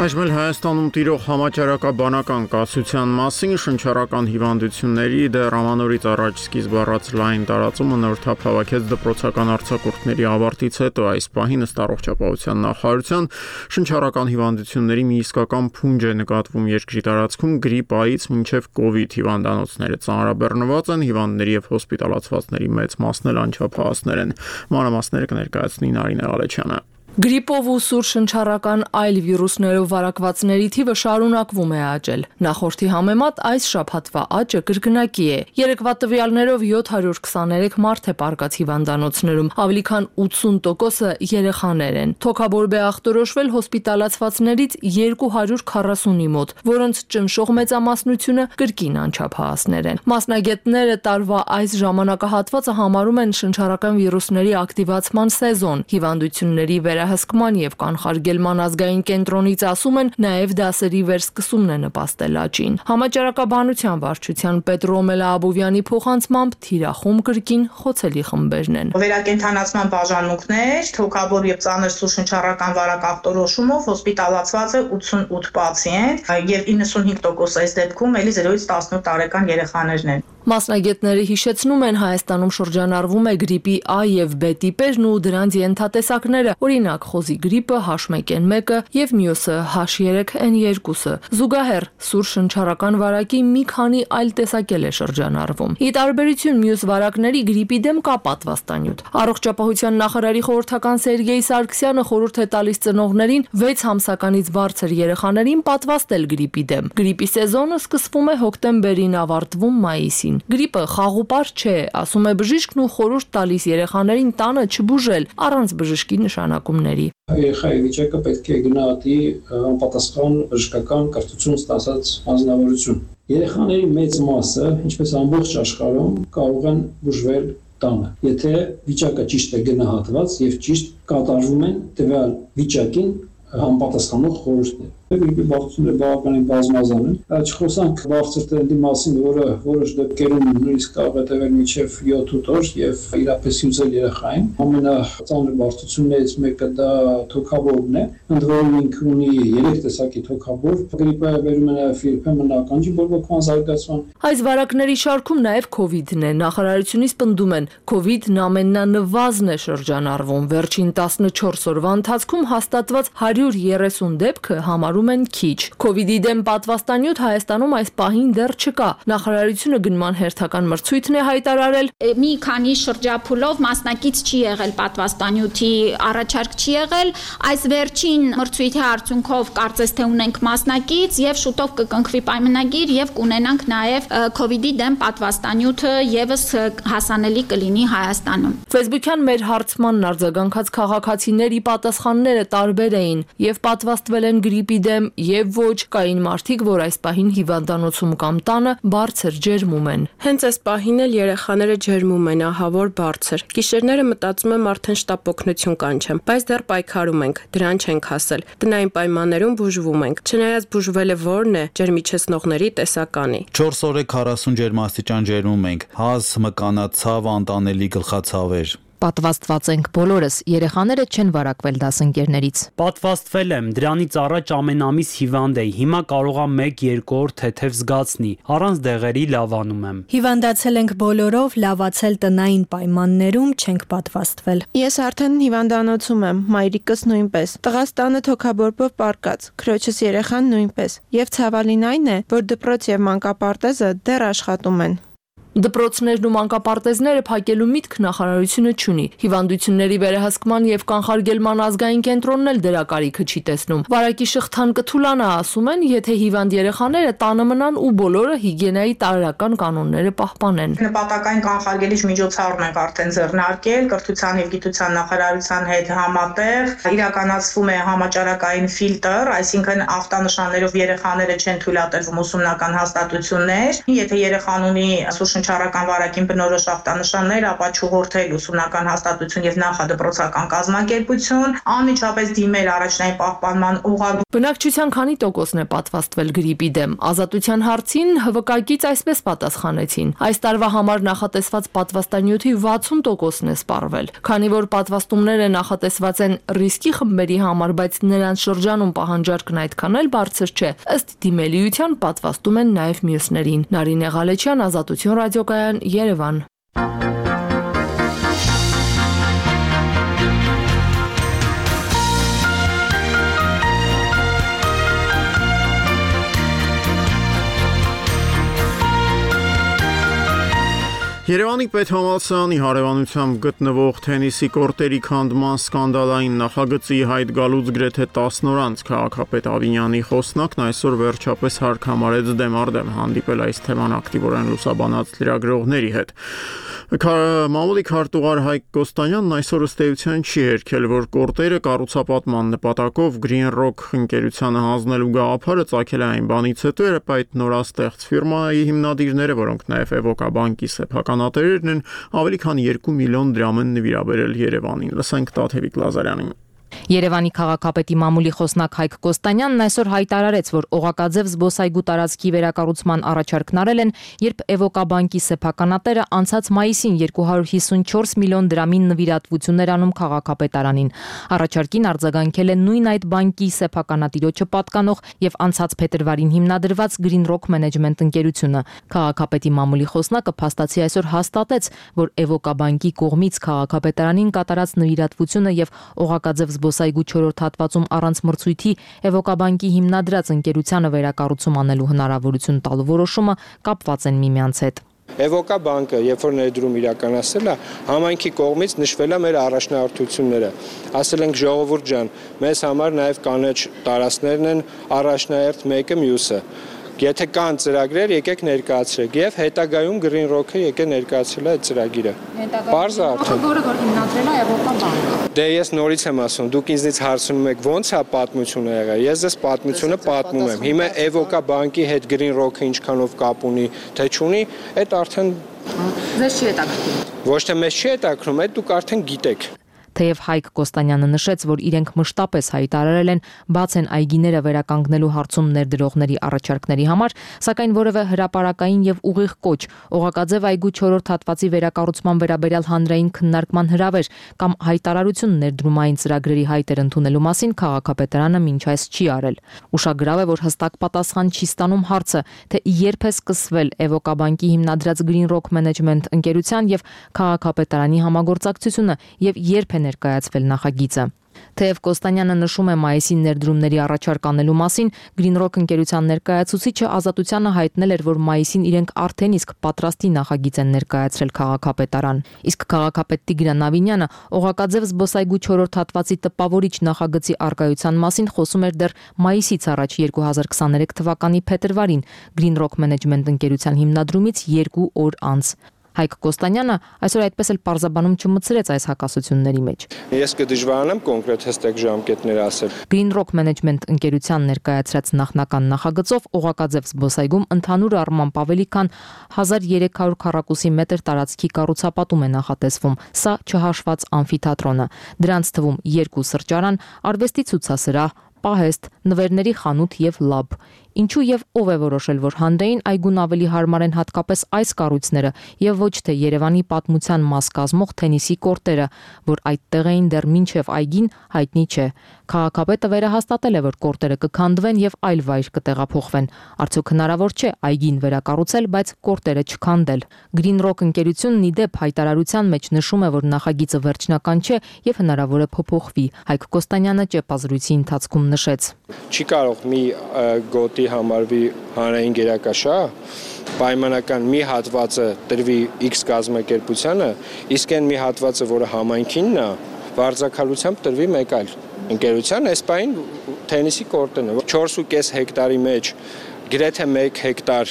Speaker 1: Այժմ էլ Հայաստանում տիրող համաճարակաբանական կասության մասին շնչառական հիվանդությունների դեռ ամանորից առաջ սկիզբ առած լայն տարածումը նոր թափ հավաքեց դպրոցական արձակուրդների ավարտից հետո այս պահին ըստ առողջապահության նախարարության շնչառական հիվանդությունների մի իսկական փունջ է նկատվում երկրի տարածքում գրիպայից մինչև կովիդ հիվանդանոցները ծանրաբեռնված են, հիվանդների եւ հոսպիտալացվածների մեծ մասն էլ անչափահասներ են։ Մանրամասները կներկայացնի Նարինե Ղալեչյանը։
Speaker 2: Գրիպով ու սուր շնչառական այլ վիրուսներով վարակվածների թիվը շարունակվում է աճել։ Նախորդի համեմատ այս շաբաթվա աճը կրկնակի է։ Երեկվա տվյալներով յոթ հարյուր քսաներեք մարդ է պարկած հիվանդանոցներում, ավելի քան ութսուն տոկոսը երեխաներ են։ Թոքաբորբե ախտորոշվել հոսպիտալացվածներից երկու հարյուր քառասունի մոտ, որոնց ճնշող մեծամասնությունը կրկին անչափահասներ են։ Մասնագետները տարվա այս ժամանակահատվածը համարում են շնչառական վիրուսների ակտիվացման սեզոն։ Հիվանդությունների վրա հսկման եւ կանխարգելման ազգային կենտրոնից ասում են, նաեւ դասերի վերսկսումն է նպաստել աճին։ Համաճարակաբանության վարչության պետ Ռոմելա Աբովյանի փոխանցմամբ թիրախում կրկին խոցելի խմբերն են։
Speaker 16: Վերակենդանացման բաժանմունքներ, թոքաբոր եւ ծանր սուր շնչառական վարակ ախտորոշումով հոսպիտալացված է ութսունութ պացիենտ եւ իննսունհինգ տոկոս այս դեպքում էլի զերոյից տասնութ տարեկան երեխաներն են։
Speaker 2: Մասնագետները հիշեցնում են, Հայաստանում շրջանառվում է գրիպի A եւ B տիպերն ու դրանց ենթատեսակները, օրինակ խոզի գրիպը H one N one եւ մյուսը H three N two-ը։ Զուգահեռ սուր շնչառական վարակի մի քանի այլ տեսակել է շրջանառվում։ Ի տարբերություն մյուս վարակների գրիպի դեմ կա պատվաստանյութ։ Առողջապահության նախարարի խորհրդական Սերգեյ Սարգսյանը խորհուրդ է տալիս ծնողներին վեց ամսականից բարձր երեխաներին պատվաստել գրիպի դեմ։ Գրիպի սեզոնը սկսվում է հոկտեմբերին, ավարտվում մայիսին։ Գրիպը խաղուպար չէ, ասում է բժիշկն ու խորհուրդ տալիս երեխաներին տանը չբուժել առանց բժշկի նշանակումների։
Speaker 17: Երեխայի վիճակը պետք է գնահատի անպատասխան բժշկական կրթություն ստացած անձնավորություն։ Երեխաների մեծ մասը, ինչպես ամբողջ աշխարհում, կարող են բուժվել տանը, եթե վիճակը ճիշտ է գնահատված եւ ճիշտ կատարվում են տվյալ վիճակին համապատասխանող խորհուրդներ։ Գրիպի բարդությունները բավականին բազմազան են։ Չխոսանք բարձր տրենդի մասին, որը որոշ դեպքերում նույնիսկ կարող է տևել մինչև յոթ-ութ օր եւ իրապես հյուծել երեխային։ Ամենածանր բարդություններից մեկը դա թոքաբորբն է։ Ընդ որում ինքը ունի երեք տեսակի թոքաբորբ։ Գրիպը բերում է նաեւ երբեմն ականջի բորբոքման զարգացման։
Speaker 2: Այս վարակների շարքում նաեւ կովիդն է։ Նախարարությունից պնդում են, կովիդն ամենանվազն է շրջանառվում։ Վերջին տասնչորս օրվա ընթացքում հաստատված հարյուր երեսուն դեպքը համար
Speaker 14: համարում են քիչ։ Քովիդի դեմ պատվաստանյութ Հայաստանում այս պահին դեռ չկա։ Նախարարությունը գնման հերթական մրցույթն է հայտարարել։
Speaker 18: Մի քանի շրջափուլով մասնակից չի եղել պատվաստանյութի առաջարկ չի եղել, այս վերջին մրցույթի արդյունքով կարծես թե ունենք մասնակից եւ շուտով կկնքվի պայմանագիր եւ կունենանք նաեւ քովիդի դեմ պատվաստանյութը եւս հասանելի կլինի Հայաստանում։
Speaker 14: Facebook-յան մեր հարցմանն արձագանքած քաղաքացիների պատասխանները տարբեր էին եւ պատվաստվել են գրիպի դեմ եւ ոչ, կային մարդիկ, որ այս պահին հիվանդանոցում կամ տանը բարձր ջերմում են։
Speaker 19: Հենց այս պահին էլ երեխաները ջերմում են, ահա որ բարձր։ Գիշերները մտածում եմ արդեն շտապ օգնություն կանչեմ, բայց դեռ պայքարում ենք, դրան չենք հասել։ Տնային պայմաններում բուժվում ենք։ Չնայած բուժվելը որն է, ջերմիչեցնողների տեսականի։
Speaker 20: չորս օր է քառասուն ջերմաստիճան ջերմում ենք, հազ, մկանացավ, անտանելի գլխացավեր։
Speaker 3: Պատվաստված ենք բոլորս, երեխաները չեն վարակվել դասընկերներից։
Speaker 21: Պատվաստվել եմ, դրանից առաջ ամեն ամիս հիվանդ էի, հիմա կարող եմ մեկ-երկու օր թեթև զգացնի, առանց դեղերի լավանում եմ։
Speaker 22: Հիվանդացել ենք բոլորով, լավացել տնային պայմաններում, չենք պատվաստվել։
Speaker 23: Ես արդեն հիվանդանոցում եմ, մայրիկս նույնպես։ Տղաս տանը թոքաբորբով պառկած, քրոջս երեխան նույնպես։ Եվ ցավալին այն է, որ դպրոց եւ մանկապարտեզը դեռ աշխատում են։
Speaker 14: Դպրոցներն ու մանկապարտեզները փակելու միտք նախարարությունը չունի։ Հիվանդությունների վերահսկման եւ կանխարգելման ազգային կենտրոնն էլ դրա կարիքը չի տեսնում։ Վարակի շղթան կթուլանա, ասում են, եթե հիվանդ երեխաները տանը մնան ու բոլորը հիգիենայի տարրական կանոնները պահպանեն։
Speaker 16: Նպատակային կանխարգելիչ միջոցառում ենք արդեն ձեռնարկել, կրթության եւ գիտության նախարարության հետ համատեղ իրականացվում է համաճարակային ֆիլտր, այսինքն ախտանշաններով երեխաները չեն թույլատրվում ուսումնական հաստատություններ։ Եթե երեխան ունի շնչառական վարակին բնորոշ ախտանշաններ, ապա չուղղորդել ուսումնական հաստատություն եւ նախադպրոցական կազմակերպություն, անմիջապես դիմել առաջնային պահպանման ուղղագրություն։
Speaker 14: Բնակչության քանի տոկոսն է պատվաստվել գրիպի դեմ։ Ազատության հարցին Հ V K-ից այսպես պատասխանեցին. այս տարվա համար նախատեսված պատվաստանյութի վաթսուն տոկոսն է սպառվել։ Քանի որ պատվաստումները նախատեսված են ռիսկի խմբերի համար, բայց նրանց շրջանում պահանջարկն այդքան էլ բարձր չէ, ըստ դիմելիության պատվաստում են նաեւ մյուսներին։ Նարինե Ղալեչյան, Ազատություն ռադիոկայան, Երևան։
Speaker 1: Երևանի պետհամալսարանի հարևանությամբ գտնվող թենիսի կորտերի քանդման սկանդալային նախագծի հայտ գալուց գրեթե տասն օր անց քաղաքապետ Ավինյանի խոսնակն այսօր վերջապես հարկ համարեց դեմ առ դեմ հանդիպել այս թեման ակտիվորեն լուսաբանած լրագրողների հետ։ Մամուլի քարտուղար Հայկ Կոստանյանն այսօր ըստ էության չի հերքել, որ կորտերը կառուցապատման նպատակով Green Rock ընկերությանը հանձնելու գաղափարը ծագել է այն բանից հետո, երբ այդ նորաստեղծ ֆիրմայի հիմնադիրները, որոնք նաև Էվոկա բանկի սեփականատերերն են, ավելի քան երկու միլիոն դրամ են նվիրաբերել Երևանին։ Լսենք Տաթևիկ Լազարյանին։
Speaker 3: Երևանի քաղաքապետի մամուլի խոսնակ Հայկ Կոստանյանն այսօր հայտարարեց, որ Օղակաձև զբոսայգու տարածքի վերակառուցման առաջարկն արել են, երբ Էվոկա բանկի սեփականատերը անցած մայիսին երկու հարյուր հիսունչորս միլիոն դրամին նվիրատվություններ անում քաղաքապետարանին։ Առաջարկին արձագանքել է նույն այդ բանկի սեփականատիրոջը պատկանող եւ անցած փետրվարին հիմնադրված Green Rock Management ընկերությունը։ Քաղաքապետի մամուլի խոսնակը փաստացի այսօր հաստատեց, որ Էվոկա բանկի կողմից քաղաքապետարանին կատարած նվիրատվությունը եւ Օղակաձև զբոսայգու չորրորդ հատվածում առանց մրցույթի Էվոկա բանկի հիմնադրած ընկերությանը վերակառուցում անելու հնարավորություն տալու որոշումը կապված են միմյանց հետ։
Speaker 24: Էվոկա բանկը, երբ որ ներդրում իրականացել է, համայնքի կողմից նշվել է մեր առաջնահերթությունները։ Ասել ենք ժողովուրդ ջան, մեզ համար նաև կանաչ տարածքներն են առաջնահերթ մեկը մյուսը։ Եթե կան ծրագրեր, եկեք ներկայացրեք եւ հետագայում Green Rock-ը եկե ներկայացրել է այդ ծրագիրը։ Պարզ է արդեն։
Speaker 18: Որը որ հիմնադրել է Էվոկա բանկը։
Speaker 24: Դե ես նորից եմ ասում, դուք ինձնից հարցնում եք ո՞նց է պատմությունը եղել։ Ես ձեզ պատմությունը պատմում եմ։ Հիմա Էվոկա բանկի հետ Green Rock-ը ինչքանով կապ ունի, թե չունի, այդ արդեն
Speaker 18: ձեզ չի հետաքրքրում։
Speaker 24: Ոչ թե մեզ չի հետաքրքրում, այդ դուք արդեն գիտեք։
Speaker 3: Թեև Հայկ Կոստանյանը նշեց, որ իրենք մշտապես հայտարարել են բաց են այգիները վերականգնելու հարցում ներդրողների առաջարկների համար, սակայն որևէ հրապարակային եւ ուղիղ կոչ, Օղակաձև այգու չորրորդ հատվածի վերակառուցման վերաբերյալ հանրային քննարկման հրավեր կամ հայտարարություն ներդրումային ծրագրերի հայտեր ընդունելու մասին քաղաքապետարանը մինչ այս չի արել։ Ուշագրավ է, որ հստակ պատասխան չի ստանում հարցը, թե երբ է սկսվել Էվոկա բանկի հիմնադրած Green Rock Management ընկերության եւ քաղաքապետարանի համագործակցությունը եւ երբ է ներկայացվել նախագիծը։
Speaker 14: Թեև Կոստանյանը նշում է մայիսին ներդրումների առաջարկ անելու մասին, Green Rock ընկերության ներկայացուցիչը Ազատությանը հայտնել էր, որ մայիսին իրենք արդեն իսկ պատրաստի նախագիծ են ներկայացրել քաղաքապետարան։ Իսկ քաղաքապետ Տիգրան Ավինյանը Օղակաձև զբոսայգու չորրորդ հատվածի տպավորիչ նախագծի արկայության մասին խոսում էր դեռ մայիսից առաջ երկու հազար քսաներեք թվականի փետրվարին Green Rock Management ընկերության հիմնադրումից երկու օր անց։ Հայկ Կոստանյանը այսօր այդպես էլ պարզաբանում չմցրեց այս հակասությունների մեջ։
Speaker 24: Ես կդժվարանամ կոնկրետ հստակ ժամկետներ ասել։
Speaker 14: Green Rock Management ընկերության ներկայացրած նախնական նախագծով Օղակաձև զբոսայգում ընդհանուր առմամբ ավելի քան հազար երեք հարյուր քառակուսի մետր տարածքի կառուցապատում է նախատեսվում։ Սա չհաշված ամֆիթատրոնը։ Դրանց թվում երկու սրճարան, արվեստի ցուցասրահ, պահեստ, նվերների խանութ եւ լաբ։ Ինչու եւ ով է որոշել, որ հանրային այգուն ավելի հարմար են հատկապես այս կառույցները եւ ոչ թե Երևանի պատմության մաս կազմող թենիսի կորտերը, որ այդտեղ էին դեռ մինչեւ այգին, հայտնի չէ։ Քաղաքապետը վերահաստատել է, որ կորտերը կքանդվեն եւ այլ վայր կտեղափոխվեն։ Արդյոք հնարավոր չէ այգին վերակառուցել, բայց կորտերը չքանդել։ Green Rock ընկերությունն ի դեպ հայտարարության մեջ նշում է, որ նախագիծը վերջնական չէ եւ հնարավոր է փոփոխվի։ Հայկ Կոստանյանը ճեպազրույցի ընթացքում նշեց.
Speaker 24: Չի կարող մի գոտի համարվի հանրային գերակաշահ, պայմանական մի հատվածը տրվի X կազմակերպությանը, իսկ այն մի հատվածը, որը համայնքինն է, վարձակալությամբ տրվի մեկ այլ ընկերության, այս պայն թենիսի կորտն է։ չորս ու կես հեկտարի մեջ գրեթե մեկ հեկտար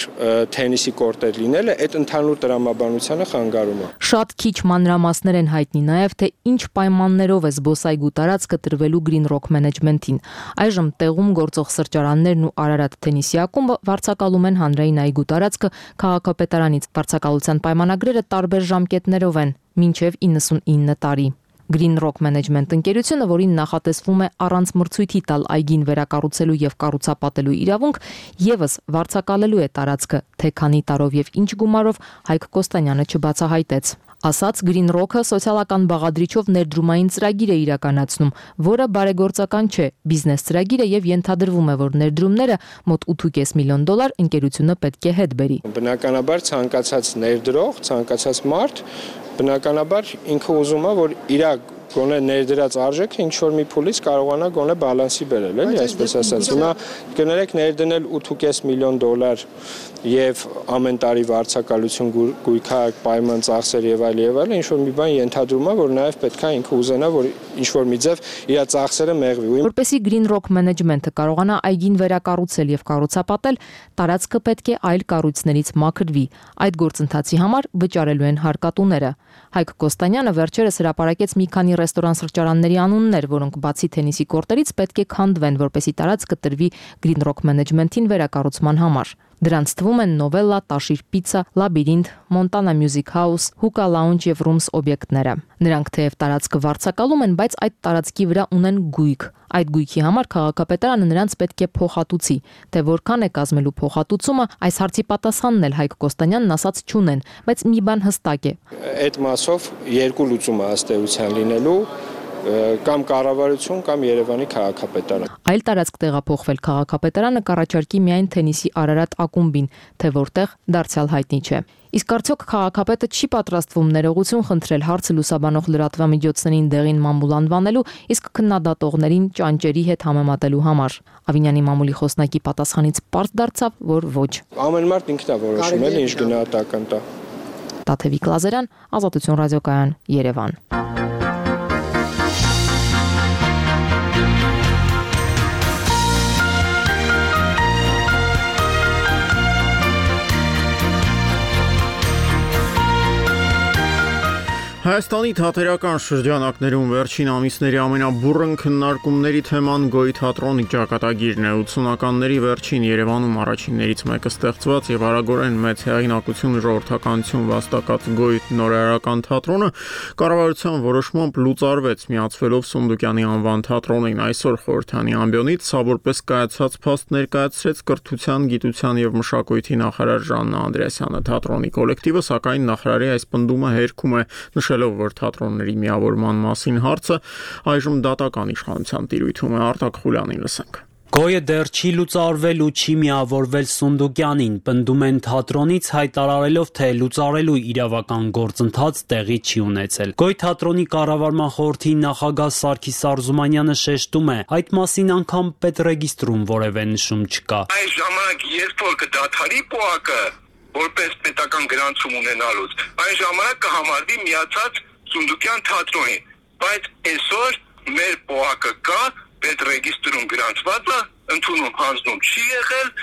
Speaker 24: թենիսի կորտեր լինելը այդ ընդհանուր տրամաբանությանը խանգարում է։
Speaker 14: Շատ քիչ մանրամասներ են հայտնի նաև, թե ինչ պայմաններով է զբոսայգու տարածքը տրվելու Green Rock Management-ին։ Այժմ տեղում գործող սրճարաններն ու Արարատ թենիսի ակումբը վարձակալում են հանրային այգու տարածքը քաղաքապետարանից։ Վարձակալության պայմանագրերը տարբեր ժամկետներով են՝ մինչև իննսունինը տարի։ Green Rock Management ընկերությունը, որին նախատեսվում է առանց մրցույթի տալ այգին վերակառուցելու եւ կառուցապատելու իրավունք, եւս վարձակալելու է տարածքը, թե քանի տարով եւ ինչ գումարով Հայկ Կոստանյանը չբացահայտեց։ Ասաց Green Rock-ը սոցիալական բաղադրիչով ներդրումային ծրագիր է իրականացնում, որը բարեգործական չէ, բիզնես ծրագիր է եւ ենթադրվում է, որ ներդրումները մոտ ութ ու կես միլիոն դոլար ընկերությունը պետք է հետ բերի։
Speaker 24: Բնականաբար ցանկացած ներդրող, ցանկացած մարդ բնականաբար ինքը ուզում է, որ իր գոնե ներդրած արժեքը ինչ որ մի փուլից կարողանա գոնե բալանսի բերել, էլի, այսպես ասած։ Հիմա կներեք ներդնել ութ ու կես միլիոն դոլար եւ ամեն տարի վարձակալություն գույքակ պայման ծախսեր եւ այլ եւ այլ, ինչ որ մի բան ենթադրում է, որ նաեւ պետքա ինքը ուզենա, որ ինչ որ մի ձև իր ծախսերը մեղվի։
Speaker 14: Որպեսզի Green Rock Management-ը կարողանա այգին վերակառուցել եւ կառուցապատել, տարածքը պետք է այլ կառույցներից մաքրվի։ Այդ գործընթացի համար վճարելու են հարկատուները։ Հայկ Կոստանյանը վերջերս հրապարակեց մի քանի ռեստորան-սրճարանների անուններ, որոնք բացի թենիսի կորտերից պետք է քանդվեն, որպեսզի տարածքը տրվի Green Rock Management-ին վերակառուցման համար։ Դրանց թվում են Novella, Տաշիր Պիցա, Լաբիրինթ, Montana Music House, Hookah Lounge եւ Rooms օբյեկտները։ Նրանք թեև տարածքը վարձակալում են, բայց այդ տարածքի վրա ունեն գույք։ Այդ գույքի համար քաղաքապետարանը նրանց պետք է փոխհատուցի, թե որքան է կազմելու փոխհատուցումը, այս հարցի պատասխանն էլ Հայկ Կոստանյանն ասաց չունեն, բայց մի բան հստակ է։
Speaker 24: Այդ մասով երկու լուծում է ըստ էության լինելու կամ կառավարություն կամ Երևանի քաղաքապետարան։
Speaker 14: Այլ տարածք տեղափոխվել քաղաքապետարանը կառաջարկի միայն թենիսի Արարատ ակումբին, թե որտեղ դարձյալ հայտնի չէ։ Իսկ արդյոք քաղաքապետը չի պատրաստվում ներողություն խնդրել հարցը լուսաբանող լրատվամիջոցներին դեղին մամուլ անվանելու, իսկ քննադատողներին ճանճերի հետ համեմատելու համար։ Ավինյանի մամուլի խոսնակի պատասխանից պարզ դարձավ, որ ոչ։
Speaker 24: Ամեն մարդ ինքն է որոշում, էլ ինչ գնահատական տա։
Speaker 14: Տաթևիկ Լազարյան, Ազատություն ռադիոկայան, Երևան։
Speaker 1: Հայաստանի թատերական շրջանակներում վերջին ամիսների ամենաբուռն քննարկումների թեման Գոյի թատրոնի ճակատագիրն է։ ութսունականների վերջին Երևանում առաջիններից մեկը ստեղծված եւ արագորեն մեծ հեղինակություն ժողովրդականություն վաստակած Գոյի նորարարական թատրոնը կառավարության որոշմամբ լուծարվեց, միացվելով Սունդուկյանի անվան թատրոնին։ Այսօր խորհրդանի ամբիոնից սա որպես կայացած փաստ ներկայացրեց կրթության, գիտության եւ մշակույթի նախարար Ժաննա Անդրեասյանը։ Թատրոնի կոլեկտիվը սակայն նախարարի այս պնդումը հերքում է, նշելով, որ թատրոնների միավորման մասին հարցը այժմ դատական իշխանության տիրույթում է։ Արտակ Խուլյանին լսենք։
Speaker 21: Գոյը դեռ չի լուծարվել ու չի միավորվել Սունդուկյանին, պնդում են թատրոնից հայտարարելով, թե լուծարելու իրավական գործընթաց տեղի չի ունեցել։ Գոյ թատրոնի կառավարման խորհրդի նախագահ Սարգիս Արզումանյանը շեշտում է, այդ մասին անգամ պետռեգիստրում որևէ նշում չկա։
Speaker 4: Այս ժամանակ երբ որ կդադարի պոակը որպես պետական գրանցում ունենալուց, այն ժամանակ կհամարվի միացած Սունդուկյան թատրոնին, բայց այսօր մեր պոակը կա, պետռեգիստրում գրանցված է, ընդունում հանձնում չի եղել,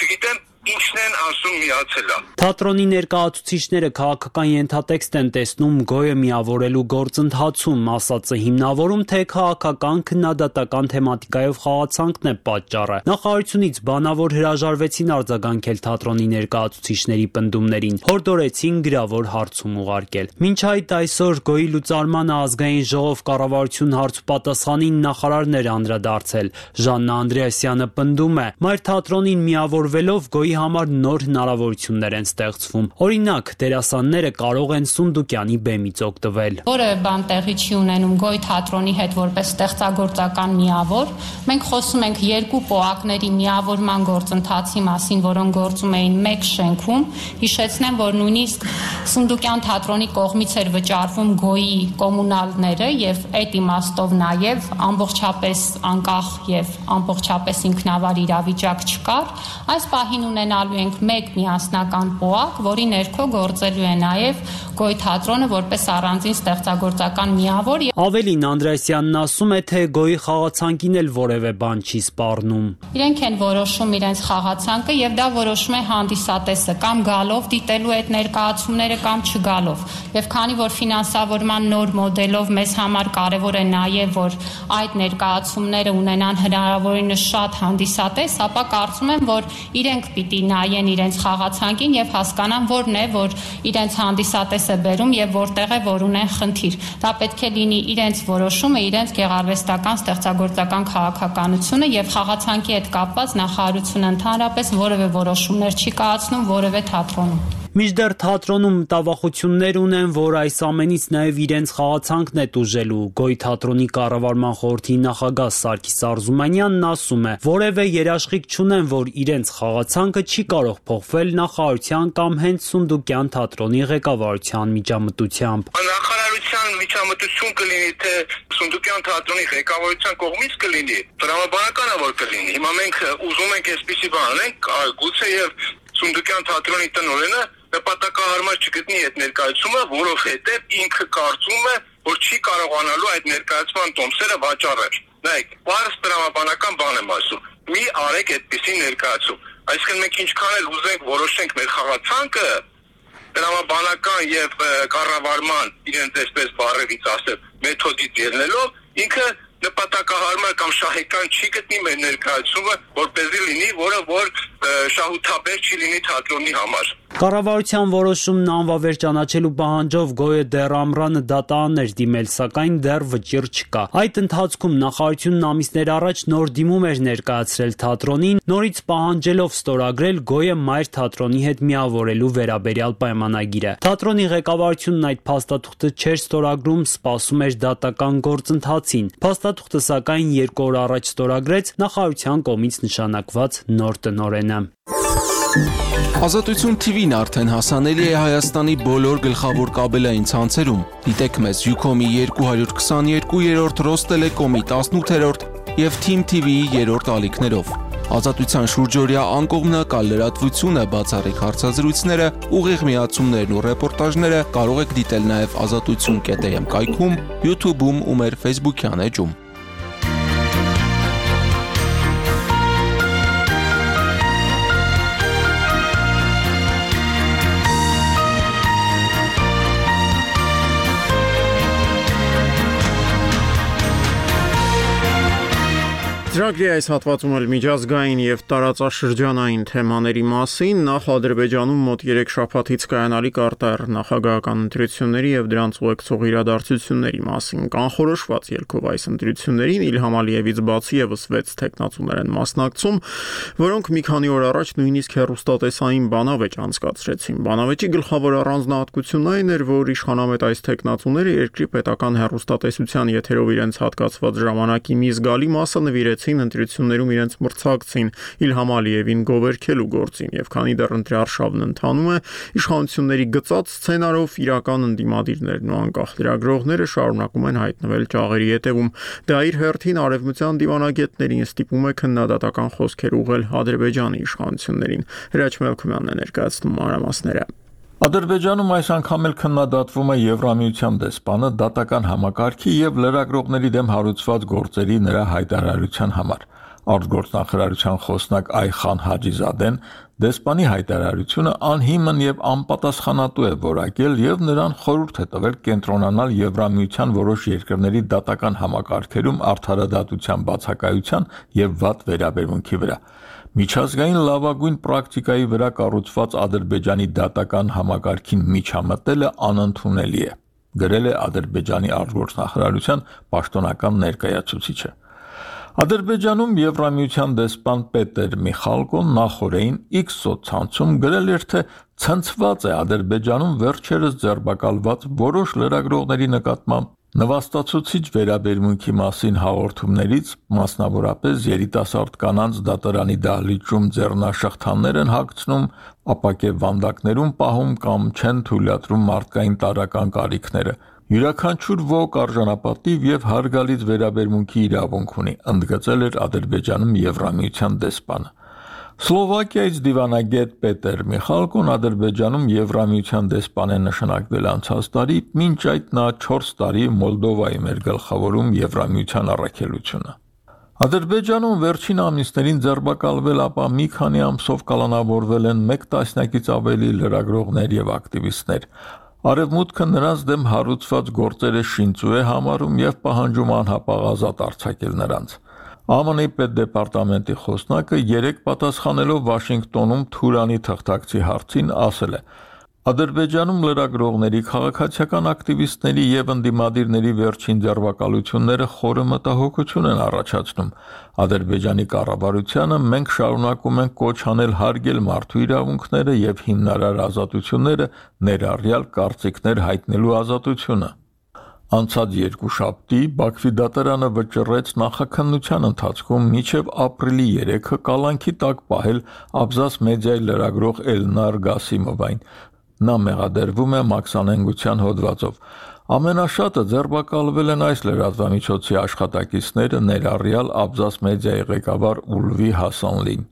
Speaker 4: չգիտեմ ինչն են ասում միացելա։
Speaker 21: Թատրոնի ներկայացուցիչները քաղաքական ենթատեքստ են տեսնում Գոյը միավորելու գործընթացում, ասածը հիմնավորում, թե քաղաքական քննադատական թեմատիկայով խաղացանքն է պատճառը։ Նախարարությունից բանավոր հրաժարվեցին արձագանքել թատրոնի ներկայացուցիչների պնդումներին, հորդորեցին գրավոր հարցում ուղարկել։ Մինչ այդ այսօր Գոյի լուծարմանը ազգային ժողով կառավարություն հարցուպատասխանին նախարարներ անդրադարձել։ Ժաննա Անդրեասյանը պնդում է, մայր թատրոնին միավորվելով Գոյի համար նոր հնարավորություններ են ստեղծվում։ Օրինակ, դերասանները կարող են Սունդուկյանի բեմից օգտվել։
Speaker 6: Որևէ բան տեղի չի ունենում Գոյ թատրոնի հետ որպես ստեղծագործական միավոր։ Մենք խոսում ենք երկու պոակների միավորման գործընթացի մասին, որոնք գործում էին մեկ շենքում։ Հիշեցնեմ, որ նույնիսկ Սունդուկյան թատրոնի կողմից էր վճարվում Գոյի կոմունալները եւ այդ իմաստով նաեւ ամբողջապես անկախ եւ ամբողջապես ինքնավար իրավիճակ չկար։ Այս պահին ունենալու ենք մեկ միասնական պոակ, որի ներքո գործելու է նաև Գոյ թատրոնը որպես առանձին ստեղծագործական միավոր։
Speaker 21: Ավելին Անդրեասյանն ասում է, թե Գոյի խաղացանկին էլ որևէ բան չի սպառնում։
Speaker 6: Իրենք են որոշում իրենց խաղացանկը եւ դա որոշում է հանդիսատեսը կամ գալով դիտելու այդ ներկայացումները կամ չգալով։ Եվ քանի որ ֆինանսավորման նոր մոդելով մեզ համար կարևոր է նաև որ այդ ներկայացումները ունենան հնարավորինս շատ հանդիսատես, ապա կարծում եմ, որ իրենք պիտի նայեն իրենց խաղացանկին եւ հասկանան որն է, որ իրենց հանդիսատես է բերում եւ որտեղ է, որ ունեն խնդիր։ Դա պետք է լինի իրենց որոշումը, իրենց գեղարվեստական ստեղծագործական քաղաքականությունը եւ խաղացանկի հետ կապված նախարարությունը ընդհանրապես որևէ որոշումներ չի կայացնում որևէ թատրոնում։
Speaker 21: Մինչդեռ թատրոնում մտավախություններ ունեն, որ այս ամենից նաև իրենց խաղացանքն է տուժելու։ Գոյ թատրոնի կառավարման խորհրդի նախագահ Սարգիս Արզումանյանն ասում է, որևէ երաշխիք չունեն, որ իրենց խաղացանքը չի կարող փոխվել նախարարության կամ հենց Սունդուկյան թատրոնի ղեկավարության միջամտությամբ։
Speaker 4: Նախարարության միջամտություն կլինի, թե Սունդուկյան թատրոնի ղեկավարության կողմից կլինի, տրամաբանական է որ կլինի։ Հիմա մենք ուզում ենք այսպիսի բան անենք, գուցե եւ Սունդուկյան թատրոնի տնօրենը նպատակահարմար չգտնի այդ ներկայացումը, որովհետև ինքը կարծում է, որ չի կարողանալու այդ ներկայացման տոմսերը վաճառել։ Նայեք, բարձ տրամաբանական բան եմ ասում։ Մի արեք այդպիսի ներկայացում։ Այսինքն մենք ինչքան էլ ուզենք որոշենք մեր խաղացանկը, տրամաբանական եւ կառավարման իրենց այսպես բառերից ասել մեթոդից ելնելով, ինքը նպատակահարմար կամ շահեկան չի գտնի մեր ներկայացումը, որպեսզի լինի, որը որ շահութաբեր չի լինի թատրոնի համար։
Speaker 21: Կառավարության որոշումն անվավեր ճանաչելու պահանջով Գոյը դեռ ամռանը դատարան էր դիմել, սակայն դեռ վճիռ չկա։ Այդ ընթացքում նախարարությունն ամիսներ առաջ նոր դիմում էր ներկայացրել թատրոնին, նորից պահանջելով ստորագրել Գոյը մայր թատրոնի հետ միավորելու վերաբերյալ պայմանագիրը։ Թատրոնի ղեկավարությունն այդ փաստաթուղթը չէր ստորագրում, սպասում էր դատական գործընթացին։ Փաստաթուղթը սակայն երկու օր առաջ ստորագրեց նախարարության կողմից նշանակված նոր տնօրենը։
Speaker 7: Ազատություն T V-ն արդեն հասանելի է Հայաստանի բոլոր գլխավոր կաբելային ցանցերում։ Դիտեք մեզ Ucom-ի երկու քսաներկու երրորդ, Ռոստելեկոմի տասնութերորդ եւ Team T V-ի երրորդ ալիքներով։ Ազատության շուրջօրյա անկողմնակալ լրատվությունը, բացառիկ հարցազրույցները, ուղիղ միացումներն ու ռեպորտաժները կարող եք դիտել նաեւ ազատություն կետ am կայքում, YouTube-ում ու մեր Facebook-յան էջում։
Speaker 1: Ծրագրի այս հատվածում էլ միջազգային եւ տարածաշրջանային թեմաների մասին նախ Ադրբեջանում մոտ երեք շաբաթից կայանալիք արտահերթ նախագահական ընտրությունների եւ դրանց ուղեկցող իրադարձությունների մասին կանխորոշված ելքով այս ընտրություններին Իլհամ Ալիևից բացի եւս վեց տեխնացուներ են մասնակցում, որոնք մի քանի օր առաջ նույնիսկ հեռուստատեսային բանավեճ անցկացրեցին։ Բանավեճի գլխավոր առանձնահատկությունն այն էր, որ իշխանամետ այս տեխնացուները երկրի պետական հեռուստատեսության եթերով իրենց հատկացված ժամանակի մի զգալի մասը նվիրեցին դիմադրեցին ընտրություններում իրենց մրցակցին Իլհամ Ալիևին գովերքելու գործին, եւ քանի դեռ ընտրարշավն ընթանում է, իշխանությունների գծած սցենարով իրական ընդդիմադիրներն ու անկախ լրագրողները շարունակում են հայտնվել ճաղերի ետևում։ Դա իր հերթին արևմտյան դիվանագետներին ստիպում է քննադատական խոսքեր ուղղել Ադրբեջանի իշխանություններին։ Հրաչ Մելքումյանն է ներկայացնում մանրամասները։
Speaker 8: Ադրբեջանում այս անգամ էլ քննադատվում է Եվրամիության դեսպանը դատական համակարգի եւ լրագրողների դեմ հարուցված գործերի նրա հայտարարության համար։ Արտգործնախարարության խոսնակ Այխան Հաջիզադեն դեսպանի հայտարարությունը անհիմն եւ անպատասխանատու է որակել եւ նրան խորհուրդ է տվել կենտրոնանալ Եվրամիության որոշ երկրների դատական համակարգերում արդարադատության բացակայության եւ վատ վերաբերմունքի վրա։ Միջազգային լավագույն պրակտիկայի վրա կառուցված Ադրբեջանի դատական համակարգին միջամտելը անընդունելի է, գրել է Ադրբեջանի արտգործնախարարության պաշտոնական ներկայացուցիչը։ Ադրբեջանում Եվրամիության դեսպան Պետեր Միխալկոն նախորդին X սոցցանցում գրել էր, թե ցնցված է Ադրբեջանում վերջերս ձերբակալված որոշ լրագրողների նկատմամբ նվաստացուցիչ վերաբերմունքի մասին հաղորդումներից, մասնավորապես երիտասարդ կանանց դատարանի դահլիճում ձեռնաշղթաներ են հագցնում, ապակե վանդակներում պահում կամ չեն թույլատրում մարդկային տարրական կարիքները։ Յուրաքանչյուր ոք արժանապատիվ եւ հարգալից վերաբերմունքի իրավունք ունի, ընդգծել էր Ադրբեջանում Եվրամիության դեսպանը։ Սլովակիայից դիվանագետ Պետեր Միխալկոն Ադրբեջանում Եվրամիության դեսպան է նշանակվել անցած տարի, մինչ այդ նա չորս տարի Մոլդովայում էր գլխավորում Եվրամիության առաքելությունը։ Ադրբեջանում վերջին ամիսներին ձերբակալվել, ապա մի քանի ամսով կալանավորվել են մեկ տասնյակից ավելի լրագրողներ եւ ակտիվիստներ։ Արևմուտքը նրանց դեմ հարուցված գործերը շինծու է համարում եւ պահանջում անհապաղ ազատ արձակել նրանց։ ԱՄՆ-ի պետդեպարտամենտի խոսնակը երեկ պատասխանելով Վաշինգտոնում Թուրանի թղթակցի հարցին ասել է. Ադրբեջանում լրագրողների, քաղաքացիական ակտիվիստների եւ ընդդիմադիրների վերջին ձերբակալությունները խորը մտահոգություն են առաջացնում։ Ադրբեջանի կառավարությանը մենք շարունակում ենք կոչ անել հարգել մարդու իրավունքները եւ հիմնարար ազատությունները, ներառյալ կարծիքներ հայտնելու ազատությունը։ Անցած երկուշաբթի Բաքվի դատարանը վճռեց նախաքննության ընթացքում մինչև ապրիլի երեքը կալանքի տակ պահել Աբզաս մեդիայի լրագրող Էլնար Գասիմովային։ Նա մեղադրվում է մաքսանենգության հոդվածով։ Ամենաշատը ձերբակալվել են այս լրատվամիջոցի աշխատակիցները, ներառյալ Աբզաս մեդիայի ղեկավար Ուլվի Հասանլին։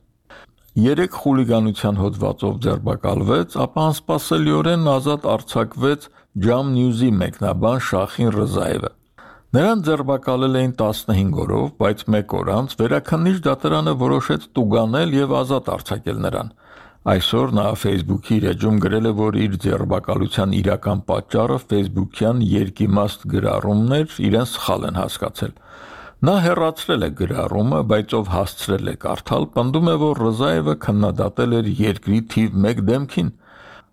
Speaker 8: Երեք խուլիգանության հոդվածով ձերբակալվեց, ապա անսպասելիորեն ազատ արձակվեց Jam News-ի մեկնաբան Շախին Ռզաևը։ Նրան ձերբակալել էին տասնհինգ օրով, բայց մեկ օր անց վերաքննիչ դատարանը որոշեց տուգանել եւ ազատ արձակել նրան։ Այսօր նա Facebook-ի իր էջում գրել է, որ իր ձերբակալության իրական պատճառը Facebook-յան երկիմաստ գրառումներ իրեն սխալ են հասկացել։ Նա հեռացրել է գրառումը, բայց ով հասցրել է կարդալ, պնդում է, որ Ռզաևը քննադատել էր երկրի թիվ մեկ դեմքին։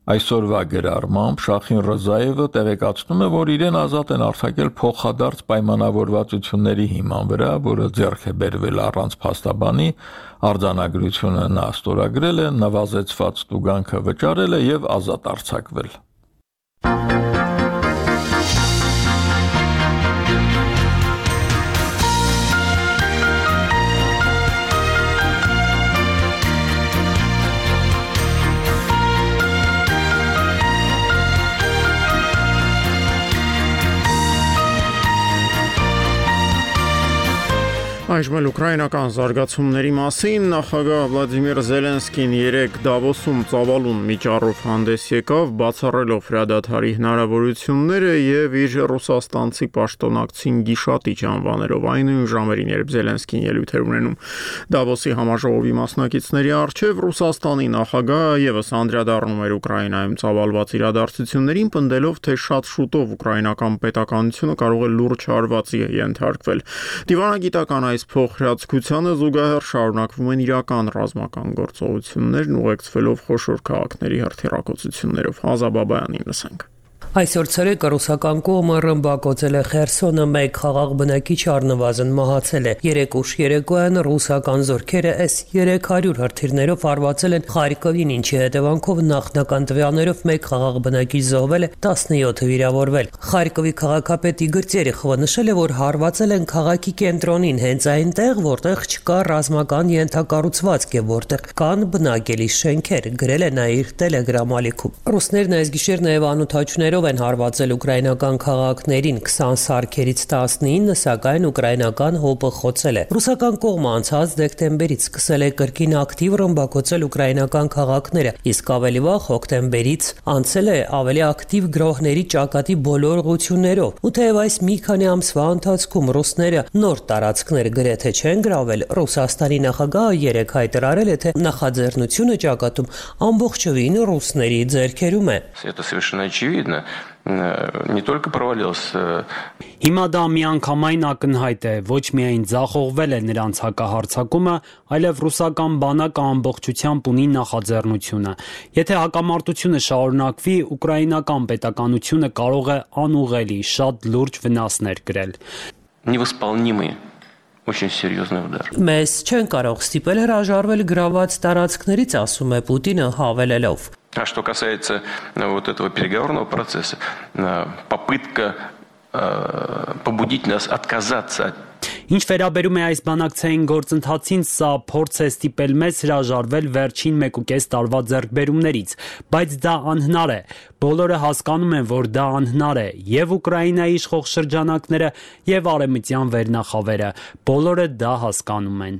Speaker 8: Այսօրվա գրառմամբ Շախին Ռզաևը տեղեկացնում է, որ իրեն ազատ են արձակել փոխադարձ պայմանավորվածությունների հիման վրա, որը ձեռք է բերվել առանց փաստաբանի, արձանագրությունը նա ստորագրել է, նվազեցված տուգանքը վճարել է եւ ազատ արձակվել։
Speaker 1: Այժմ էլ ուկրաինական զարգացումների մասին նախագահ Վլադիմիր Զելենսկին երեկ Դավոսում ծավալուն միջառով հանդես եկավ, բացառելով հրադադարի հնարավորությունները եւ իր ռուսաստանցի պաշտոնակցին գիշատիչ անվաներով այն նույն ժամերին, երբ Զելենսկին ելույթ էր ունենում Դավոսի համաժողովի մասնակիցների առջև, Ռուսաստանի նախագահը եւս անդրադառնում էր Ուկրաինայում ծավալված իրադարձություններին, պնդելով, թե շատ շուտով ուկրաինական պետականությունը կարող է լուրջ հարվածի ենթարկվել։ Դիվանագիտական այս փոխհրաձգությանը զուգահեռ շարունակվում են իրական ռազմական գործողություններն ուղեկցվելով խոշոր քաղաքների հրթիռակոծություններով։ Ազա Բաբայանին լսենք։
Speaker 5: Այսօր ցերեկը ռուսական կողմը ռմբակոծել է Խերսոնը, մեկ խաղաղ բնակիչ առնվազն մահացել է։ Երեք ուշ երեկոյան ռուսական զորքերը էս երեք հարյուր հրթիռներով հարվածել են Խարկովին, ինչի հետևանքով նախնական տվյալներով մեկ խաղաղ բնակիչ զոհվել է, տասնյոթը վիրավորվել։ Խարկովի քաղաքապետ Իգոր Տերեխովը նշել է, որ հարվածել են քաղաքի կենտրոնին, հենց այնտեղ, որտեղ չկա ռազմական ենթակառուցվածք եւ որտեղ կան բնակելի շենքեր, գրել է նա իր Telegram ալիքում։ Ռուսներն այս գիշեր նաեւ անօթաչուներով են հարվածել ուկրաինական քաղաքներին, քսան սարքերից տասնինը, սակայն ուկրաինական հոպը խոցել է։ Ռուսական կողմը անցած դեկտեմբերից սկսել է կրկին ակտիվ ռմբակոծել ուկրաինական քաղաքները, իսկ ավելի վաղ հոկտեմբերից անցել է ավելի ակտիվ գրոհների ճակատի բոլոր ուղղություններով։ Ու թեև այս մի քանի ամսվա ընթացքում ռուսները նոր տարածքներ գրեթե չեն գրավել, Ռուսաստանի նախագահը երեկ հայտարարել է, թե նախաձեռնությունը ճակատում ամբողջովին ռուսների ձեռքերում է։
Speaker 9: Очевидно, не только провалился.
Speaker 21: Հիմա դա միանգամայն ակնհայտ է, ոչ միայն ձախողվել է նրանց հակահարձակումը, այլև ռուսական բանակը ամբողջությամբ ունի նախաձեռնությունը։ Եթե հակամարտությունը շարունակվի, ուկրաինական պետականությունը կարող է անուղղելի շատ լուրջ վնասներ կրել։
Speaker 9: Невосполнимый Очень серьезный удар.
Speaker 5: Մեզ չեն կարող ստիպել հրաժարվել գրաված տարածքներից, ասում է Պուտինը հավելելով։
Speaker 9: А что касается вот этого переговорного процесса, попытка побудить нас отказаться от
Speaker 21: Ինչ վերաբերում է այս բանակցային գործընթացին, սա փորձ է ստիպել մեզ հրաժարվել վերջին մեկուկես տարվա ձեռքբերումներից, բայց դա անհնար է։ Բոլորը հասկանում են, որ դա անհնար է, եւ Ուկրաինայի իշխող շրջանակները, եւ արևմտյան վերնախավերը, բոլորը դա հասկանում են։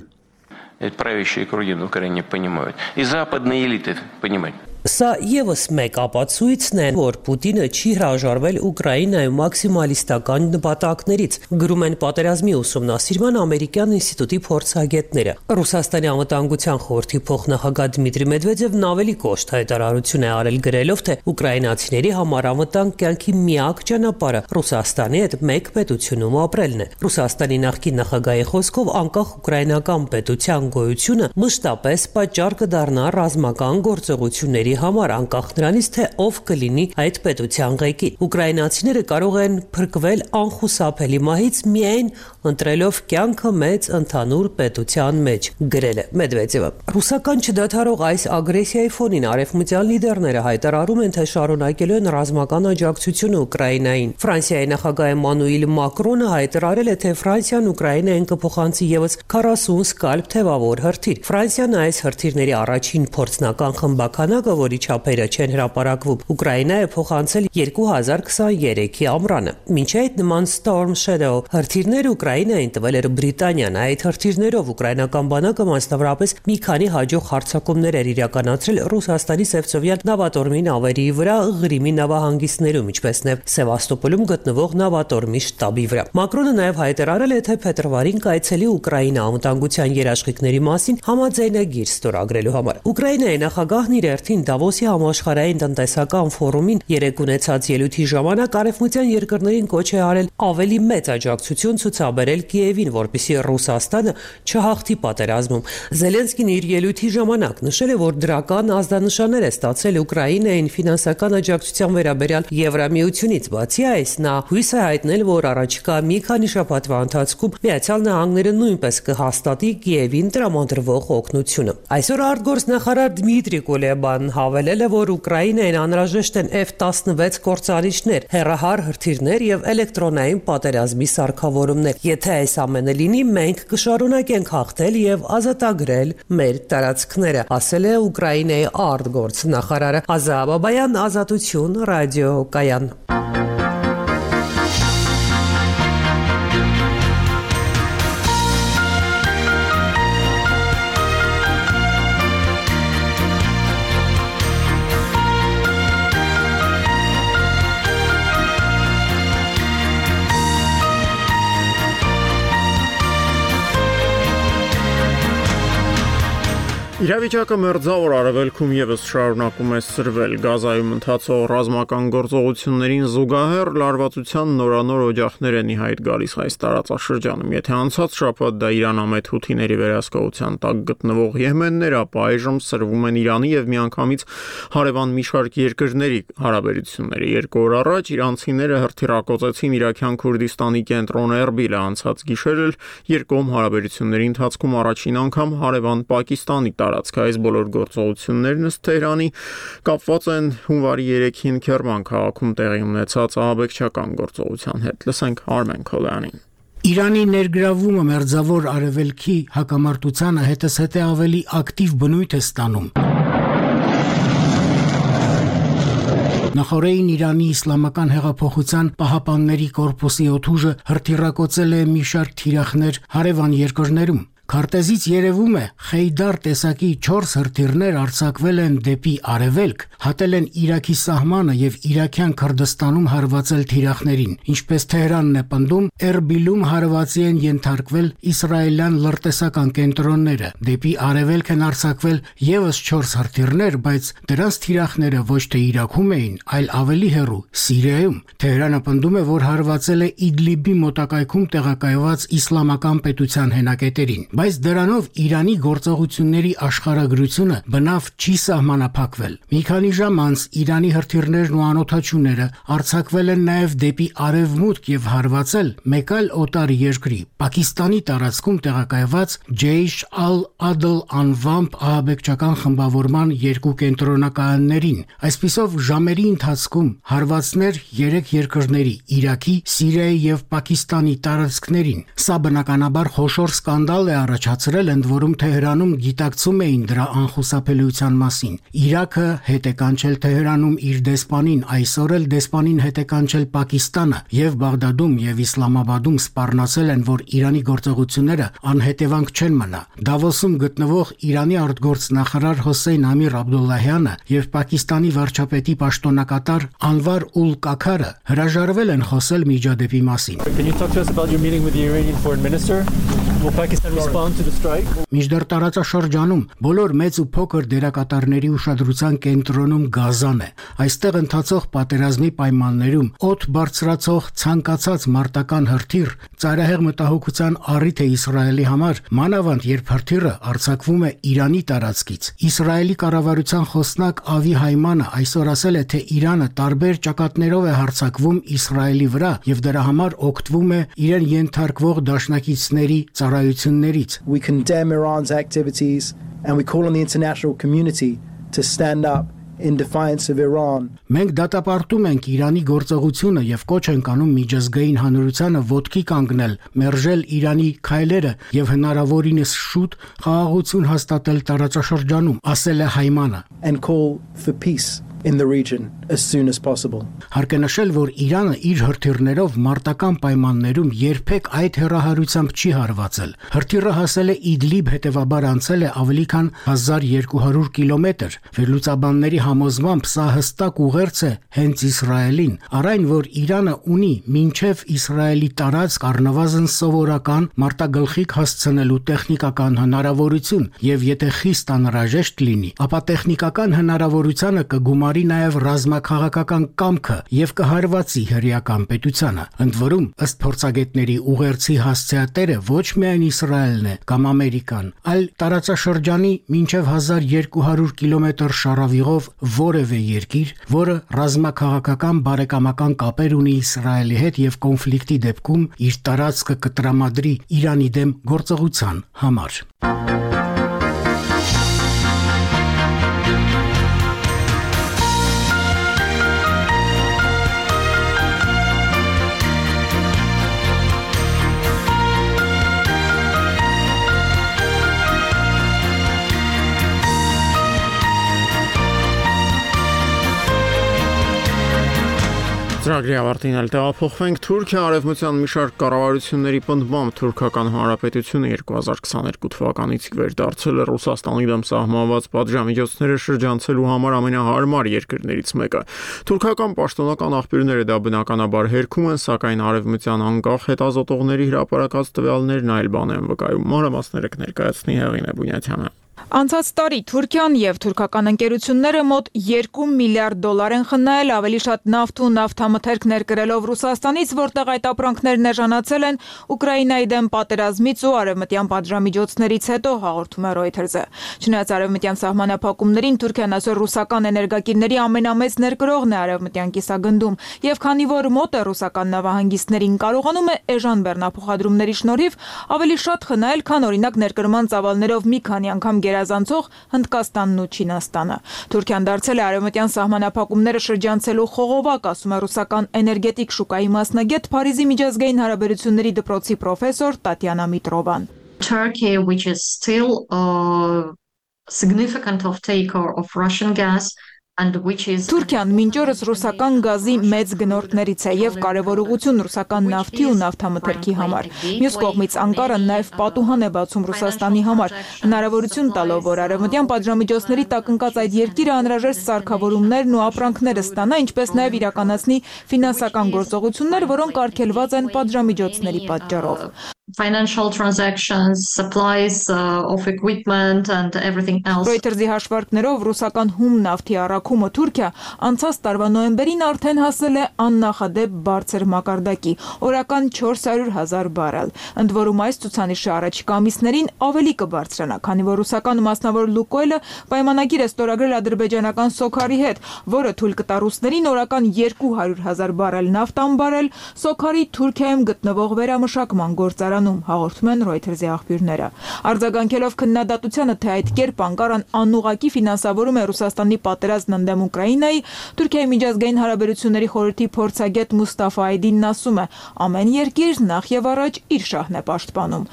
Speaker 9: Правящие круги в Украине понимают, и западные элиты понимают.
Speaker 5: Սա եւս մեկ ապացույցն է, որ Պուտինը չի հրաժարվել Ուկրաինայում մաքսիմալիստական նպատակներից, գրում են պատերազմի ուսումնասիրման ամերիկյան ինստիտուտի փորձագետները։ Ռուսաստանի անվտանգության խորհրդի փոխնախագահ Դմիտրի Մեդվեդևն ավելի կոշտ հայտարարություն է արել, գրելով, թե ուկրաինացիների համար անվտանգ կյանքի միակ ճանապարհը Ռուսաստանի հետ մեկ պետությունում ապրելն է։ Ռուսաստանի նախկին նախագահի խոսքով անկախ ուկրաինական պետության գոյությունը մշտապես պատճառ կդառնա ռազմական գործողությունների համար, անկախ նրանից, թե ով կլինի այդ պետության ղեկին։ Ուկրաինացիները կարող են փրկվել անխուսափելի մահից միայն ընտրելով կյանքը մեծ ընդհանուր պետության մեջ, գրել է Մեդվեդևը։ Ռուսական չդադարող այս ագրեսիայի ֆոնին արևմտյան լիդերները հայտարարում են, թե շարունակելու են ռազմական աջակցությունը Ուկրաինային։ Ֆրանսիայի նախագահ Էմանուել Մակրոնը հայտարարել է, թե Ֆրանսիան Ուկրաինային կփոխանցի եւս քառասուն սկալպ թևավոր հրթիռ։ Ֆրանսիան այս հրթիռների առաջին փորձնական խմբականակը, որի չափերը չեն հրապարակվում, Ուկրաինայը փոխանցել երկու հազար քսաներեքի ամռանը։ Մինչ այդ նման Storm Shadow հրթիռները Ուկրաինային տվել էր Բրիտանիան։ Այդ հրթիռներով ուկրաինական բանակը մասնավորապես մի քանի հաջող հարձակումներ էր իրականացրել Ռուսաստանի Սևծովյան նավատորմի նավերի վրա, Ղրիմի նավահանգիստներում, ինչպես նաև Սևաստոպոլում գտնվող նավատորմի շտաբի վրա։ Մակրոնը նաև հայտարարել է, թե փետրվարին կայցելի Ուկրաինա անվտանգության երաշխիքների մասին համաձայնագիր ստորագրելու համար։ Ուկրաինայի նախագահն իր հերթին Դավոսի համաշխարհային տնտեսական ֆորումին երեկ ունեցած ելույթի ժամանակ արևմտյան երկրներին կոչ է արել ավելի մեծ աջակցություն ցուցաբերել Կիևին, որպեսզի Ռուսաստանը չհաղթի պատերազմում։ Զելենսկին իր ելույթի ժամանակ նշել է, որ դրական ազդանշաններ է ստացել Ուկրաինային ֆինանսական աջակցության վերաբերյալ Եվրամիությունից։ Բացի այս, նա հույս է հայտնել, որ առաջիկա մի քանի շաբաթվա ընթացքում Միացյալ Նահանգները նույնպես կհաստատի Կիևին տրամադրվող օգնությունը։ Այսօր արտգործնախարար Դմիտրի Կուլեբան հավելել է, որ Ուկրաինային անհրաժեշտ են F տասնվեց կորցանիչներ, հեռահար հրթիռներ եւ էլեկտրոնային պատերազմի սարքավորումներ։ Եթե այս ամենը լինի, մենք կշարունակենք հաղթել եւ ազատագրել մեր տարածքները, ասել է Ուկրաինայի արտգործնախարարը։ Ազա Բաբայան, Ազատություն, ռադիո Կայան։
Speaker 1: Իրավիճակը մերձավոր արևելքում եւս շարունակում է սրվել Գազայում ընթացող ռազմական գործողություններին զուգահեռ լարվածության նորանոր օջախներ են ի հայտ գալիս այս տարածաշրջանում։ Եթե անցած շաբաթ դա Իրանամետ հութիների վերահսկողության տակ գտնվող Եմեններ, ապա այժմ սրվում են Իրանի եւ միանգամից հարևան մի շարք երկրների հարաբերությունները։ Երկու օր առաջ իրանցիները հրթիռակոծեցին Իրաքյան Քուրդիստանի կենտրոն Էրբիլը, անցած գիշեր էլ երկկողմ հարաբերությունների ընթացքում առաջին անգամ հարևան Պակիստանի տարածք այս բոլոր գործողություններն ըստ Թեհրանի կապված են հունվարի երեքին Քերման քաղաքում տեղի ունեցած ահաբեկչական գործողության հետ։ Լսենք Արմեն Քոլյանին։
Speaker 10: Իրանի ներգրավումը մերձավոր արևելքի հակամարտությանը հետզհետե ավելի ակտիվ բնույթ է ստանում։ Նախորդին Իրանի իսլամական հեղափոխության պահապանների կորպուսի օդուժը հրթիռակոծել է մի շարք թիրախներ հարևան երկրներում։ Քարտեզից երևում է Խեյդար տեսակի չորս հրթիռներ արձակվել են դեպի արևելք, հատել են Իրաքի սահմանը եւ Իրաքյան Քրդստանում հարվածել թիրախներին։ Ինչպես Թեհրանն է պնդում, Էրբիլում հարվածի են ենթարկվել իսրայելյան լրտեսական կենտրոնները։ Դեպի արևելք են արձակվել եւս չորս հրթիռներ, բայց դրանց թիրախները ոչ թե Իրաքում էին, այլ ավելի հեռու Սիրիայում։ Թեհրանը պնդում է, որ հարվածել է Իդլիբի մոտակայքում տեղակայված իսլամական պետության հենակետերին։ Բայց դրանով Իրանի գործողությունների աշխարհագրությունը բնավ չի սահմանափակվել։ Մի քանի ժամ անց Իրանի հրթիռներն ու անօդաչուները արձակվել են նաև դեպի արևմուտք եւ հարվածել մեկ այլ օտար երկրի՝ Պակիստանի տարածքում տեղակայված Ջեյշ ալ-Ադլ անվամբ ահաբեկչական խմբավորման երկու կենտրոնակայաններին։ Այսպիսով ժամերի ընթացքում հարվածներ երեք երկրների՝ Իրաքի, Սիրիայի եւ Պակիստանի տարածքներին։ Սա բնականաբար խոշոր սկանդալ է առաջացրել, ընդ որում Թեհրանում գիտակցում էին դրա անխուսափելիության մասին։ Իրաքը հետ է կանչել Թեհրանում իր դեսպանին, այսօր էլ դեսպանին հետ է կանչել Պակիստանը, եւ Բաղդադում եւ Իսլամաբադում սպառնացել են, որ Իրանի գործողությունները անհետևանք չեն մնա։ Դավոսում գտնվող Իրանի արտգործնախարար Հոսեյն Ամիր Աբդուլլահյանը եւ Պակիստանի վարչապետի պաշտոնակատար Անվար ուլ Կաքարը հրաժարվել են խոսել միջադեպի մասին։ Մինչդեռ տարածաշրջանում բոլոր մեծ ու փոքր դերակատարների ուշադրության կենտրոնում Գազան է։ Այստեղ ընթացող պատերազմի պայմաններում օդ բարձրացող ցանկացած մարտական հրթիռ ծայրահեղ մտահոգության առիթ է Իսրայելի համար, մանավանդ երբ հրթիռը արձակվում է Իրանի տարածքից։ Իսրայելի կառավարության խոսնակ Ավի Հայմանը այսօր ասել է, թե Իրանը տարբեր ճակատներով է հարձակվում Իսրայելի վրա եւ դրա համար օգտվում է իրեն ենթարկվող դաշնակիցների ծառայություններից։
Speaker 11: We condemn Iran's activities and we call on the international community to stand up in defiance of Iran.
Speaker 10: Մենք դատապարտում ենք Իրանի գործողությունը եւ կոչ ենք անում միջազգային հանրությանը ոտքի կանգնել, մերժել Իրանի քայլերը եւ հնարավորինս շուտ խաղաղություն հաստատել տարածաշրջանում, ասել է Հայմանը,
Speaker 11: and call for peace in the region as soon as possible.
Speaker 10: Հարկ է նշել, որ Իրանը իր հրթիռներով մարտական պայմաններում երբեք այդ հեռահարությամբ չի հարվածել։ Հրթիռը հասել է Իդլիբ, հետևաբար անցել է ավելի քան հազար երկու հարյուր կիլոմետր։ Վերլուծաբանների համոզմամբ սա հստակ ուղերձ է հենց Իսրայելին, առայն որ Իրանը ունի մինչև Իսրայելի տարածք առնվազն սովորական մարտագլխիկ հասցնելու տեխնիկական հնարավորություն, եւ եթե խիստ անհրաժեշտ լինի, ապա տեխնիկական հնարավորությանը կգումարի նաև ռազմաքաղաքական կամքը եւ կհարվածի հրեական պետությանը։ Ընդ որում, ըստ փորձագետների, ուղերձի հասցեատերը ոչ միայն Իսրայելն է կամ Ամերիկան, այլ տարածաշրջանի մինչև հազար երկու հարյուր կիլոմետր շարավիղով որևէ երկիր, որը ռազմաքաղաքական բարեկամական կապեր ունի Իսրայելի հետ եւ կոնֆլիկտի դեպքում իր տարածքը կտրամադրի Իրանի դեմ գործողության համար։
Speaker 1: Ծրագրի ավարտին էլ տեղափոխվենք Թուրքիա արևմտյան մի շարք կառավարությունների պնդմամբ Թուրքական Հանրապետությունը երկու հազար քսաներկու թվականից վեր դարձել է Ռուսաստանի դեմ սահմանված պատժամիջոցները շրջանցելու համար ամենահարմար երկրներից մեկը։ Թուրքական պաշտոնական աղբյուրները դա բնականաբար հերքում են, սակայն արևմտյան անկախ հետազոտողների հրապարակած տվյալներն այլ բան են վկայում։ Մանրամասները կներկայացնի Հեղինե Բունյաթյանը։
Speaker 12: Անցած տարի Թուրքիան եւ թուրքական ընկերությունները մոտ երկու միլիարդ դոլար են խնայել ավելի շատ նավթ ու նավթամթերք ներկրելով Ռուսաստանից, որտեղ այդ ապրանքներն էժանացել են Ուկրաինայի դեմ պատերազմից ու արևմտյան պատժամիջոցներից հետո, հաղորդում է Reuters-ը։ Չնայած արևմտյան սահմանափակումներին, Թուրքիան այսօր ռուսական էներգակիրների ամենամեծ ներկրողն է արևմտյան կիսագնդում, եւ քանի որ մոտ է ռուսական նավահանգիստներին, կարողանում է էժան բեռնափոխադրումների շնորհիվ ավելի շատ խնայել, քան օրինակ ներկրման ծավալներով մի քանի անգամ գերազանցող Հնդկաստանն ու Չինաստանը։ Թուրքիան դարձել է արևմտյան սահմանափակումները շրջանցելու խողովակ, ասում է ռուսական էներգետիկ շուկայի մասնագետ, Փարիզի միջազգային հարաբերությունների դպրոցի պրոֆեսոր Տատյանա Միտրովան։
Speaker 13: Turkey, which is still a significant off-taker of Russian gas,
Speaker 12: Թուրքիան մինչ օրս ռուսական գազի մեծ գնորդներից է եւ կարեւոր ուղղություն ռուսական նավթի ու նավթամթերքի համար։ Մյուս կողմից Անկարան նաեւ պատուհան է բացում Ռուսաստանի համար, հնարավորություն տալով, որ արևմտյան պատժամիջոցների տակ ընկած այդ երկիրը անհրաժեշտ սարքավորումներն ու ապրանքները ստանա, ինչպես նաեւ իրականացնի ֆինանսական գործողություններ, որոնք արգելված են պատժամիջոցների պատճառով։
Speaker 13: Financial transactions, supplies uh, of equipment and everything else.
Speaker 12: Reuters-ի հաշվարկներով ռուսական հում նավթի առաքումը Թուրքիա անցած տարվա նոյեմբերին արդեն հասել է աննախադեպ բարձր մակարդակի, օրական չորս հարյուր հազար բարել։ Ընդ որում այս ցուցանիշը առաջիկա ամիսներին ավելի կբարձրանա, քանի որ ռուսական մասնավոր Լուկոյլը պայմանագիր է ստորագրել ադրբեջանական Սոքարի հետ, որը թույլ կտա ռուսներին օրական երկու հարյուր հազար բարել նավթ անբարել Սոքարի Թուրքիայում գտնվող վերամշակման գործարանում, հաղորդում են Reuters-ի աղբյուրները։ Արձագանքելով քննադատությանը, թե այդ կերպ Անկարան անուղղակի ֆինանսավորում է Ռուսաստանի պատերազմն ընդդեմ Ուկրաինայի, Թուրքիայի միջազգային հարաբերությունների խորհրդի փորձագետ Մուստաֆա Այդինն ասում է, ամեն երկիր նախ եւ առաջ իր շահն է պաշտպանում։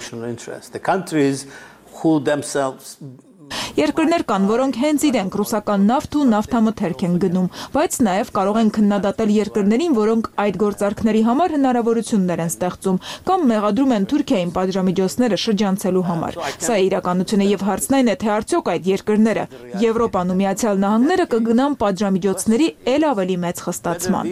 Speaker 12: Երկրներ կան, որոնք հենց իրենք ռուսական նավթ ու նավթամթերք են գնում, բայց նաև կարող են քննադատել երկրներին, որոնք այդ գործարքների համար հնարավորություններ են ստեղծում կամ մեղադրում են Թուրքիային պատժամիջոցները շրջանցելու համար։ Սա է իրականությունը եւ հարցն այն է, թե արդյոք այդ երկրները Եվրոպան ու Միացյալ Նահանգները կգնան պատժամիջոցների ել ավելի մեծ խստացման։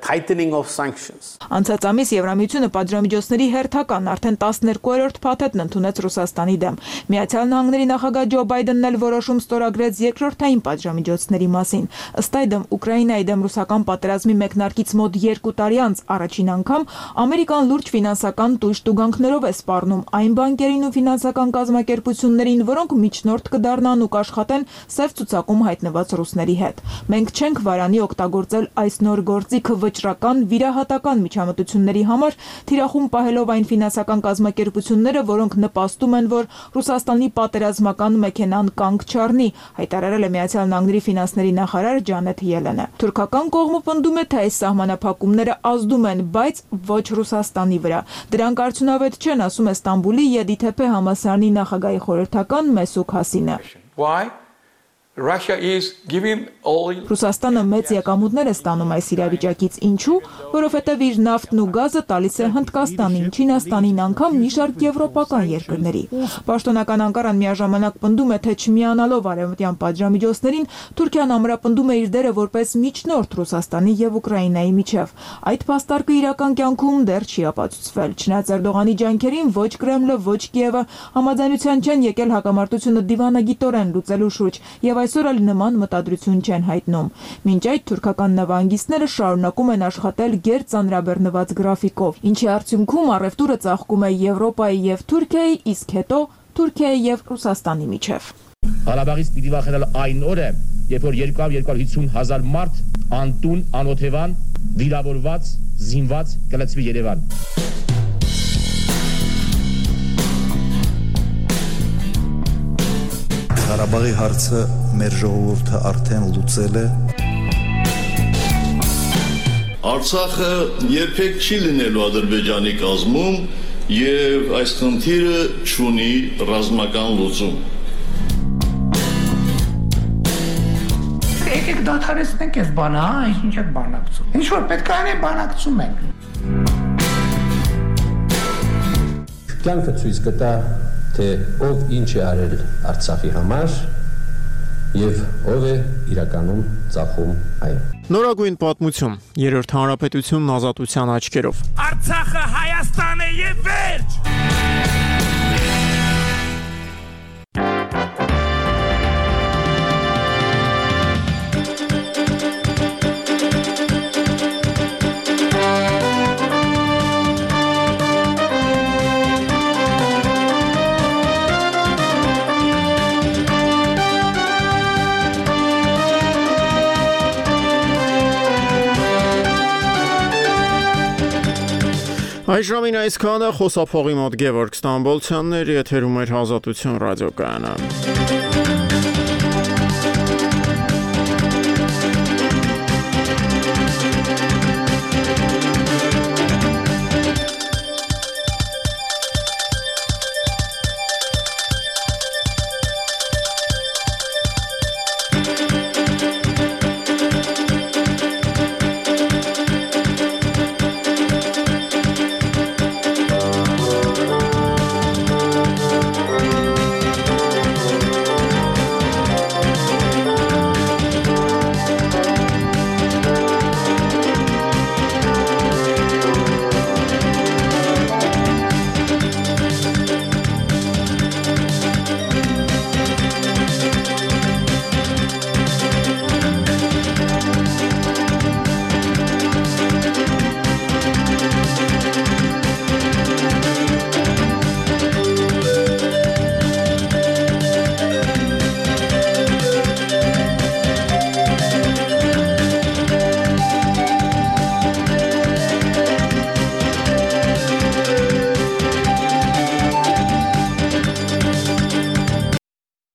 Speaker 15: tightening of sanctions.
Speaker 12: Անցած ամիս Եվրամիությունը պատժամիջոցների հերթական արդեն տասներկուերորդ փաթեթն ընդունեց Ռուսաստանի դեմ։ Միացյալ Նահանգների նախագահ Ջո Բայդենն էլ որոշում ստորագրեց երկրորդային պատժամիջոցների մասին։ Ըստ այդմ Ուկրաինայի դեմ ռուսական պատերազմի մեկնարկից մոտ երկու տարի անց առաջին անգամ Ամերիկան լուրջ ֆինանսական տույժ-տուգանքներով է սպառնում այն բանկերին ու ֆինանսական կազմակերպություններին, որոնք միջնորդ կդառնան ու կաշխատեն սև ցուցակում հայտնված ռուսների հետ։ Մենք չենք վարանի օգտագործել այս նոր գործիք վճռական վիրահատական միջամտությունների համար, թիրախում պահելով այն ֆինանսական կազմակերպությունները, որոնք նպաստում են, որ Ռուսաստանի պատերազմական մեքենան կանգ չառնի, հայտարարել է Միացյալ Նահանգների ֆինանսների նախարար Ջանեթ Ելենը։ Թուրքական կողմը պնդում է, թե այս սահմանափակումները ազդում են, բայց ոչ Ռուսաստանի վրա։ Դրանք արդյունավետ չեն, ասում է Ստամբուլի ԵԴԹՊ համալսարանի նախագահի խորհրդական Մեսուկ Հասինը։
Speaker 17: Why? Russia is giving all
Speaker 12: Ռուսաստանը մեծ եկամուտներ է ստանում այս իրավիճակից, ինչու, որովհետև իր նավթն ու գազը տալիս է Հնդկաստանին, Չինաստանին, անգամ մի շարք եվրոպական երկրների։ Պաշտոնական Անկարան միաժամանակ պնդում է, թե չմիանալով արևմտյան պատժամիջոցներին, Թուրքիան ամրապնդում է իր դերը որպես միջնորդ Ռուսաստանի եւ Ուկրաինայի միջև։ Այդ փաստարկը իրական կյանքում դեռ չի ապացուցվել։ Չնայած Էրդողանի ջանքերին ոչ Կրեմլը, ոչ Կիևը համաձայնության չեն եկել հակամարտությունը դիվանագիտորեն լուծելու շուրջ եւ այսօր էլ նման մտադրություն չեն հայտնում։ Մինչ այդ թուրքական նավահանգիստները շարունակում են աշխատել գերծանրաբեռնված գրաֆիկով, ինչի արդյունքում առևտուրը ծաղկում է Եվրոպայի եւ Թուրքիայի, իսկ հետո Թուրքիայի եւ Ռուսաստանի միջև։
Speaker 25: Ղարաբաղից պիտի վախենալ այն օրը, երբ որ երկու հարյուր հիսուն հազար մարդ անտուն, անօթևան, վիրավորված, զինված կլցվի Երևան։
Speaker 26: Ղարաբաղի հարցը մեր ժողովուրդը արդեն լուծել է։
Speaker 27: Արցախը երբեք չի լինելու Ադրբեջանի կազմում եւ այս խնդիրը չունի ռազմական լուծում։
Speaker 28: Եկեք դադարեցնենք այս բանը, հա, ինչ եք բանակցում։ Ինչ որ պետք է անենք, բանակցում ենք։
Speaker 29: Կյանքը ցույց կտա, թե ով ինչ է արել Արցախի համար
Speaker 2: եւ ով է իրականում ծախում այն։
Speaker 1: Նորագույն պատմություն, երրորդ հանրապետությունն ազատության աչքերով։
Speaker 3: Արցախը Հայաստան է եւ վերջ։
Speaker 1: Այժմին այսքանը խոսափողի մոտ Գևորգ Ստամբոլցյանն էր, եթերում էր Ազատություն ռադիոկայանը։